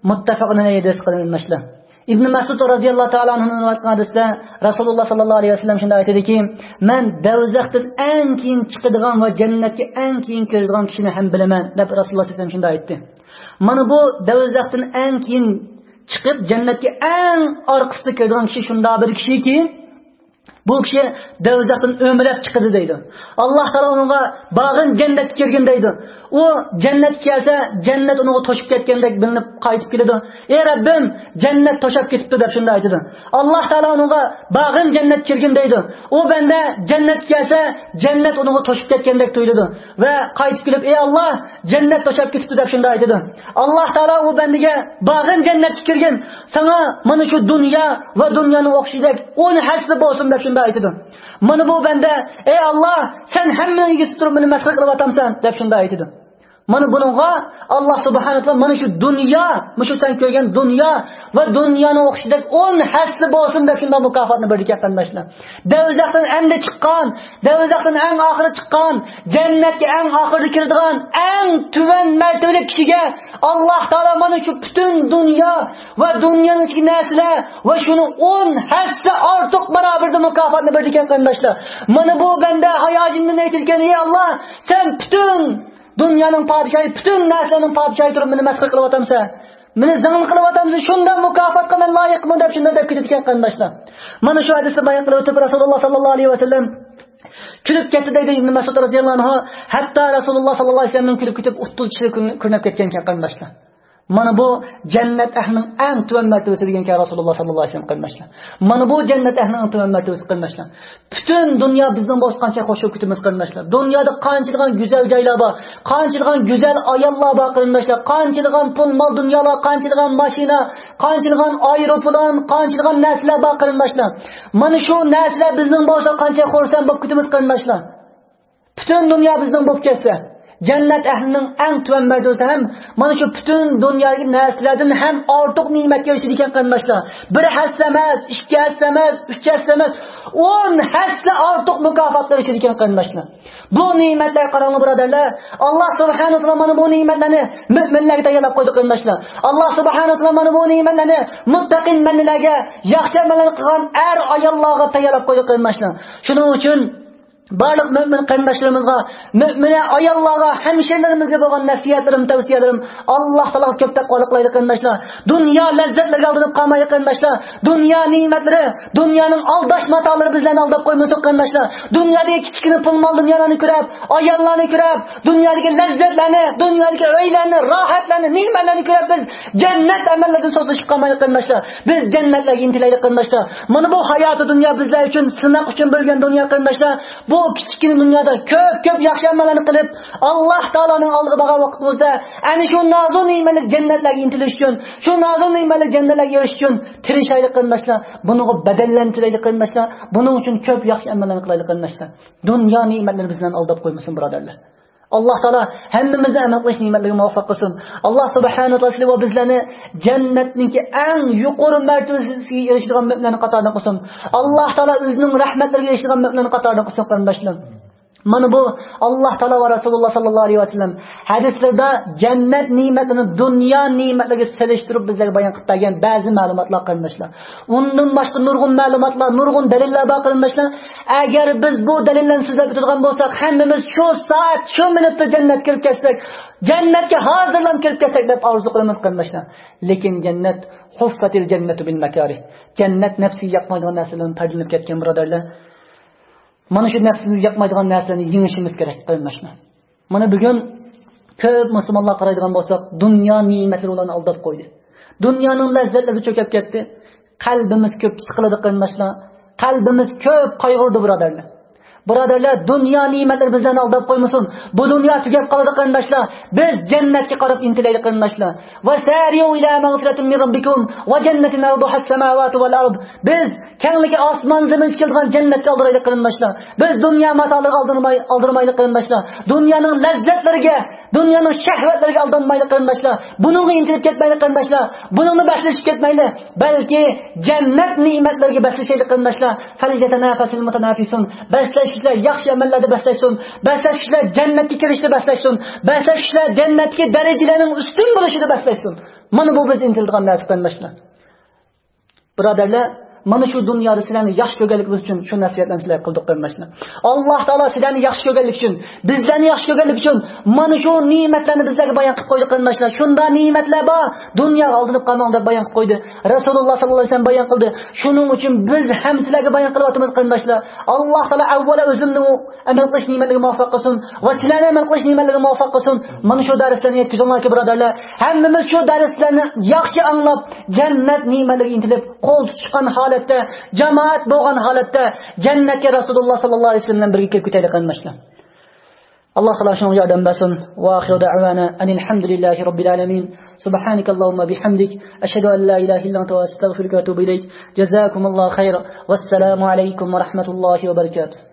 مۇتتەپەقۇن ئەلەيھى ھەدىس، قېرىنداشلار. ئىبن مەسئۇد رەزىياللاھۇ تائالا ئەنھۇدىن رىۋايەت قىلىنغان ھەدىستە رەسۇلۇللاھ ساللاللاھۇ ئەلەيھى ۋەسەللەم شۇنداق ئېيتىدىكى، مەن دوزاختىن ئەڭ كېيىن چىقىدىغان ۋە جەننەتكە ئەڭ كېيىن كىرىدىغان كىشىنى ھەم بىلىمەن، دەپ رەسۇلۇللاھ سەللەللاھۇ ئەلەيھى ۋەسەللەم شۇنداق ئېيتتى. مانا بۇ دوزاختىن ئەڭ كېيىن چىقىپ، جەننەتكە ئەڭ ئارقىسىدا كىرىدىغان كىشى شۇنداق بىر كىشىكى، بۇ كىشى دوزاختىن ئۆمىلەپ چىقىدۇ دەيدۇ. ئاللاھ تائالا ئۇنىڭغا بارغىن جەننەتكە كىرگىن دەيدۇ. ئۇ جەننەتكە كەلسە، جەننەت ئۇنىڭغا توشۇپ كەتكەندەك بىلىنىپ قايتىپ كېلىدۇ. ئى رەببىم، جەننەت توشاپ كېتىپتۇ دەپ شۇنداق ئېيتىدۇ. ئاللاھ تائالا ئۇنىڭغا بارغىن جەننەتكە كىرگىن دەيدۇ. ئۇ بەندە جەننەتكە كەلسە، جەننەت ئۇنىڭغا توشۇپ كەتكەندەك تۇيۇلىدۇ. ۋە قايتىپ كېلىپ، ئى ئاللاھ، جەننەت توشاپ كېتىپتۇ دەپ شۇنداق ئېيتىدۇ. ئاللاھ تائالا ئۇ بەندىگە بارغىن جەننەتكە كىرگىن، ساڭا مانا شۇ دۇنيا ۋە دۇنيانىڭ ئوخشىشىدەك ئون ھەسسە بولسۇن دەپ شۇنداق ئېيتىدۇ. مانا بۇ بەندە، ئى ئاللاھ، سەن ھەممىنىڭ ئىگىسى تۇرۇپ مېنى مەسخىرە قىلىۋاتامسەن دەپ شۇنداق ئېيتىدۇ. مانا بۇنىڭغا ئاللاھ سۇبھانەھۇ ۋە تائالا مانا شۇ دۇنيا، مۇشۇ سەن كۆرگەن دۇنيا ۋە دۇنيانىڭ ئوخشىشىدەك ئون ھەسسە بولسۇن دەپ شۇنداق مۇكاپاتنى بېرىدىكەن، قېرىنداشلار. دوزاختىن ئەمدى چىققان، دوزاختىن ئەڭ ئاخىرى چىققان، جەننەتكە ئەڭ ئاخىرىدا كىرىدىغان ئەڭ تۆۋەن مەرتىۋىلىك كىشىگە ئاللاھ تائالا مانا شۇ پۈتۈن دۇنيا ۋە دۇنيانىڭ ئىچىدىكى نەرسىلەر ۋە شۇنىڭ ئون ھەسسە ئارتۇق باراۋىرىدا مۇكاپاتنى بېرىدىكەن، قېرىنداشلار. مانا بۇ بەندە ھاياجىندىن ئېيتىدىكەن، ئى ئاللاھ، سەن پۈتۈن دۇنيانىڭ پادىشاھى، پۈتۈن نەرسىلەرنىڭ پادىشاھى تۇرۇپ مېنى مەسخىرە قىلىۋاتامسەن؟ مېنى زىڭنە قىلىۋاتامسەن؟ شۇنداق مۇكاپاتقا مەن لايىقمۇ دەپ شۇنداق دەپ كېتىدىكەن، قېرىنداشلار. مانا شۇ ھەدىسنى بايان قىلىۋېتىپ، رەسۇلۇللاھ ساللاللاھۇ ئەلەيھى ۋەسەللەم كۈلۈپ كەتتى دەيدۇ ئىبن مەسئۇد رازىياللاھۇ ئەنھۇ. ھەتتا رەسۇلۇللاھ ساللاللاھۇ ئەلەيھى ۋەسەللەمنىڭ كۈلۈپ كېتىپ ئۇتتۇز چىشلىرى كۆرۈنۈپ كەتكەنىكەن، قېرىنداشلار. مانا بۇ جەننەت ئەھلىنىڭ ئەڭ تۆۋەن مەرتىۋىسى دېگەنكەن رەسۇلۇللاھ ساللاللاھۇ ئەلەيھى ۋەسەللەم، قېرىنداشلار. مانا بۇ جەننەت ئەھلىنىڭ ئەڭ تۆۋەن مەرتىۋىسى، قېرىنداشلار. پۈتۈن دۇنيا بىزنىڭ بولسا قانچە خوش كۆرۈپ كېتىمىز، قېرىنداشلار. دۇنيادا قانچىلىغان گۈزەل جايلار بار، قانچىلىغان گۈزەل ئاياللار بار، قېرىنداشلار. قانچىلىغان پۇل مال دۇنيالار، قانچىلىغان ماشىنا، قانچىلىغان ئايروپىلان، قانچىلىغان نەرسىلەر بار، قېرىنداشلار. مانا شۇ نەرسىلەر بىزنىڭ بولسا قانچە خۇرسەن بولۇپ كېتىمىز، قېرىنداشلار. پۈتۈن دۇنيا بىزنىڭ بولۇپ كەتسە، جەننەت ئەھلىنىڭ ئەڭ تۆۋەن مەرتىۋىسى ھەم مانا شۇ پۈتۈن دۇنيادىكى نەرسىلەردىن ھەم ئارتۇق نېمەتكە ئېرىشىدىكەن، قېرىنداشلار. بىر ھەسسە ئەمەس، ئىككى ھەسسە ئەمەس، ئۈچ ھەسسە ئەمەس، ئون ھەسسە ئارتۇق مۇكاپاتقا ئېرىشىدىكەن، قېرىنداشلار. بۇ نېمەتلەرگە قاراڭلار، بۇرادەرلەر. ئاللاھ سۇبھانەھۇ ۋە تائالا مانا بۇ نېمەتلەرنى مۆمىنلەرگە تەييارلاپ قويدى، قېرىنداشلار. ئاللاھ سۇبھانەھۇ ۋە تائالا مانا بۇ نېمەتلەرنى مۇتتەقىن بەندىلەرگە، ياخشى ئەمەللەرنى قىلغان ئەر ئاياللارغا تەييارلاپ قويدى، قېرىنداشلار. شۇنىڭ ئۈچۈن بارلىق مۆمىن قېرىنداشلىرىمىزغا، مۆمىنە ئاياللارغا، ھەمشىرىلىرىمىزگە بولغان نەسىھەتلىرىم، تەۋسىيەلىرىم، ئاللاھ تائالاغا كۆپ تەقۋالىق قىلايلى، قېرىنداشلار. دۇنيا لەززەتلىرىگە ئالدىنىپ قالمايلى، قېرىنداشلار. دۇنيا نېمەتلىرى، دۇنيانىڭ ئالداش ماتالىرى بىزلەرنى ئالداپ قويمىسۇن، قېرىنداشلار. دۇنيادىكى كىچىككىنە پۇل مال دۇنيالارنى كۆرۈپ، ئاياللارنى كۆرۈپ، دۇنيادىكى لەززەتلەرنى، دۇنيادىكى ئۆيلەرنى، راھەتلەرنى، نېمەتلەرنى كۆرۈپ بىز جەننەت ئەمەللىرىدىن سوزۇلۇشۇپ قالمايلى، قېرىنداشلار. بىز جەننەتلەرگە ئىنتىلەيلى، قېرىنداشلار. مانا بۇ ھاياتى دۇنيا بىزلەر ئۈچۈن سىناق ئۈچۈن بېرىلگەن دۇنيا، قېرىنداشلار. بۇ كىچىككىنە دۇنيادا كۆپ، كۆپ ياخشى ئەمەللەرنى قىلىپ، ئاللاھ تائالانىڭ ئالدىغا بارغان ۋاقتىمىزدا، ئەنە شۇ نازۇ نېمەتلىك جەننەتلەرگە ئىنتىلىش ئۈچۈن، شۇ نازۇ نېمەتلىك جەننەتلەرگە ئېرىشىش ئۈچۈن تىرىشايلى، قېرىنداشلار. بۇنىڭغا بەدەللەرنى تۆلەيلى، قېرىنداشلار. بۇنىڭ ئۈچۈن كۆپ ياخشى ئەمەللەرنى قىلايلى، قېرىنداشلار. دۇنيا نېمەتلىرى بىزلەرنى ئالداپ قويمىسۇن، بۇرادەرلەر. ئاللاھ تائالا ھەممىمىزنى ئەمەل قىلىش نېمەتلىرىگە مۇۋەپپەق قىلسۇن. ئاللاھ سۇبھانەھۇ ۋە تائالا سىلى ۋە بىزلەرنى جەننەتنىڭكى ئەڭ يۇقىرى مەرتىۋىسىگە ئېرىشىدىغان مۆمىنلەرنىڭ قاتارىدا قىلسۇن. ئاللاھ تائالا ئۆزىنىڭ رەھمەتلىرىگە ئېرىشىدىغان مۆمىنلەرنىڭ قاتارىدا قىلسۇن، قېرىنداشلار. مانا بۇ ئاللاھ تائالا ۋە رەسۇلۇللاھ ساللاللاھۇ ئەلەيھى ۋەسەللەم ھەدىسلىرىدە جەننەت نېمەتلىرىنى دۇنيا نېمەتلىرىگە سېلىشتۇرۇپ بىزلەرگە بايان قىلىپ بەرگەن بەزى مەلۇماتلار، قېرىنداشلار. ئۇندىن باشقا نۇرغۇن مەلۇماتلار، نۇرغۇن دەلىللەر بار، قېرىنداشلار. ئەگەر بىز بۇ دەلىللەرنى سۆزلەپ ئۆتىدىغان بولساق، ھەممىمىز شۇ سائەت، شۇ مىنۇتتا جەننەتكە كىرىپ كەتسەك، جەننەتكە ھازىرلانىپ كىرىپ كەتسەك دەپ ئارزۇ قىلىمىز، قېرىنداشلار. لېكىن جەننەت، حۇففەتىل جەننەتۇ بىل مەكارىھ. جەننەت نەپسىگە ياقمايدىغان نەرسىلەردىن پەردىلىنىپ كەتكەن، بۇرادەرلەر. مانا شۇ نەپسىمىزگە ياقمايدىغان نەرسىلەرنى يېڭىشىمىز كېرەك، قېرىنداشلار. مانا بۈگۈن كۆپ مۇسۇلمانلارغا قارايدىغان بولساق، دۇنيا نېمەتلىرى ئۇلارنى ئالداپ قويدى. دۇنيانىڭ لەززەتلىرىگە چۆكۈپ كەتتى. قەلبىمىز كۆپ سىقىلىدۇ، قېرىنداشلار. قەلبىمىز كۆپ قايغۇردى، بۇرادەرلەر. بۇرادەرلەر، دۇنيا نېمەتلىرى بىزلەرنى ئالداپ قويمىسۇن. بۇ دۇنيا تۈگەپ قالىدۇ، قېرىنداشلار. بىز جەننەتكە قاراپ ئىنتىلەيلى، قېرىنداشلار. وسارعوا إلى مغفرة من ربكم وجنة عرضها السماوات والأرض. بىز كەڭلىكى ئاسمان زېمىنغا كېلىدىغان جەننەتكە ئالدىرايلى، قېرىنداشلار. بىز دۇنيا ماتالىرىغا ئالدىرماي-، ئالدىرمايلى، قېرىنداشلار. دۇنيانىڭ لەززەتلىرىگە، دۇنيانىڭ شەھۋەتلىرىگە ئالدانمايلى، قېرىنداشلار. بۇنىڭغا ئىنتىلىپ كەتمەيلى، قېرىنداشلار. بۇنىڭغا بەسلىشىپ كەتمەيلى، بەلكى جەننەت نېمەتلىرىگە بەسلىشەيلى، قېرىنداشلار. فليتنافس المتنافسون. بەسلەشكۈچىلەر ياخشى ئەمەللەردە بەسلەشسۇن. بەسلەشكۈچىلەر جەننەتكە كىرىشتە بەسلەشسۇن. بەسلەشكۈچىلەر جەننەتتىكى دەرىجىلەرنىڭ ئۈستۈن بولۇشىدا بەسلەشسۇن. مانا بۇ بىز ئىنتىلىدىغان نەرسە، قېرىنداشلار. بۇرادەرلەر، مانا شۇ دۇنيادا سىلەرنى ياخشى كۆرگەنلىكىمىز ئۈچۈن شۇ نەسىھەتلەرنى سىلەرگە قىلدۇق، قېرىنداشلار. ئاللاھ تائالا سىلەرنى ياخشى كۆرگەنلىكى ئۈچۈن، بىزلەرنى ياخشى كۆرگەنلىكى ئۈچۈن مانا شۇ نېمەتلەرنى بىزلەرگە بايان قىلىپ قويدى، قېرىنداشلار. شۇنداق نېمەتلەر بار، دۇنياغا ئالدىنىپ قالماڭ دەپ بايان قىلىپ قويدى. رەسۇلۇللاھ ساللاللاھۇ ئەلەيھى ۋەسەللەم بايان قىلدى. شۇنىڭ ئۈچۈن بىز ھەم سىلەرگە بايان قىلىۋاتىمىز، قېرىنداشلار. ئاللاھ تائالا ئەۋۋەلا ئۆزىنى ئەمەل قىلىش نېمەتلىرىگە مۇۋەپپەق قىلسۇن ۋە سىلەرنى ئەمەل قىلىش نېمەتلىرىگە مۇۋەپپەق قىلسۇن. مانا شۇ دەرسلەرنى يەتكۈزۈڭلاركى، بۇرادەرلەر، ھەممىمىز شۇ دەرسلەرنى ياخشى ئاڭلاپ، جەننەت نېمەتلىرىگە ئىنتىلىپ، قول تۇتۇشقان ھالەتتە، جامائەت بولغان ھالەتتە جەننەتكە رەسۇلۇللاھ ساللاللاھۇ ئەلەيھى ۋەسەللەم بىلەن بىرگە كىرىپ كېتەيلى، قېرىنداشلار. ئاللاھ تائالا شۇنىڭغا ياردەم بەرسۇن. وآخر دعوانا أن الحمد لله رب العالمين. سبحانك اللهم بحمدك، أشهد أن لا إله إلا أنت، أستغفرك وأتوب إليك. جزاكم الله خيرا، والسلام عليكم ورحمة الله وبركاته.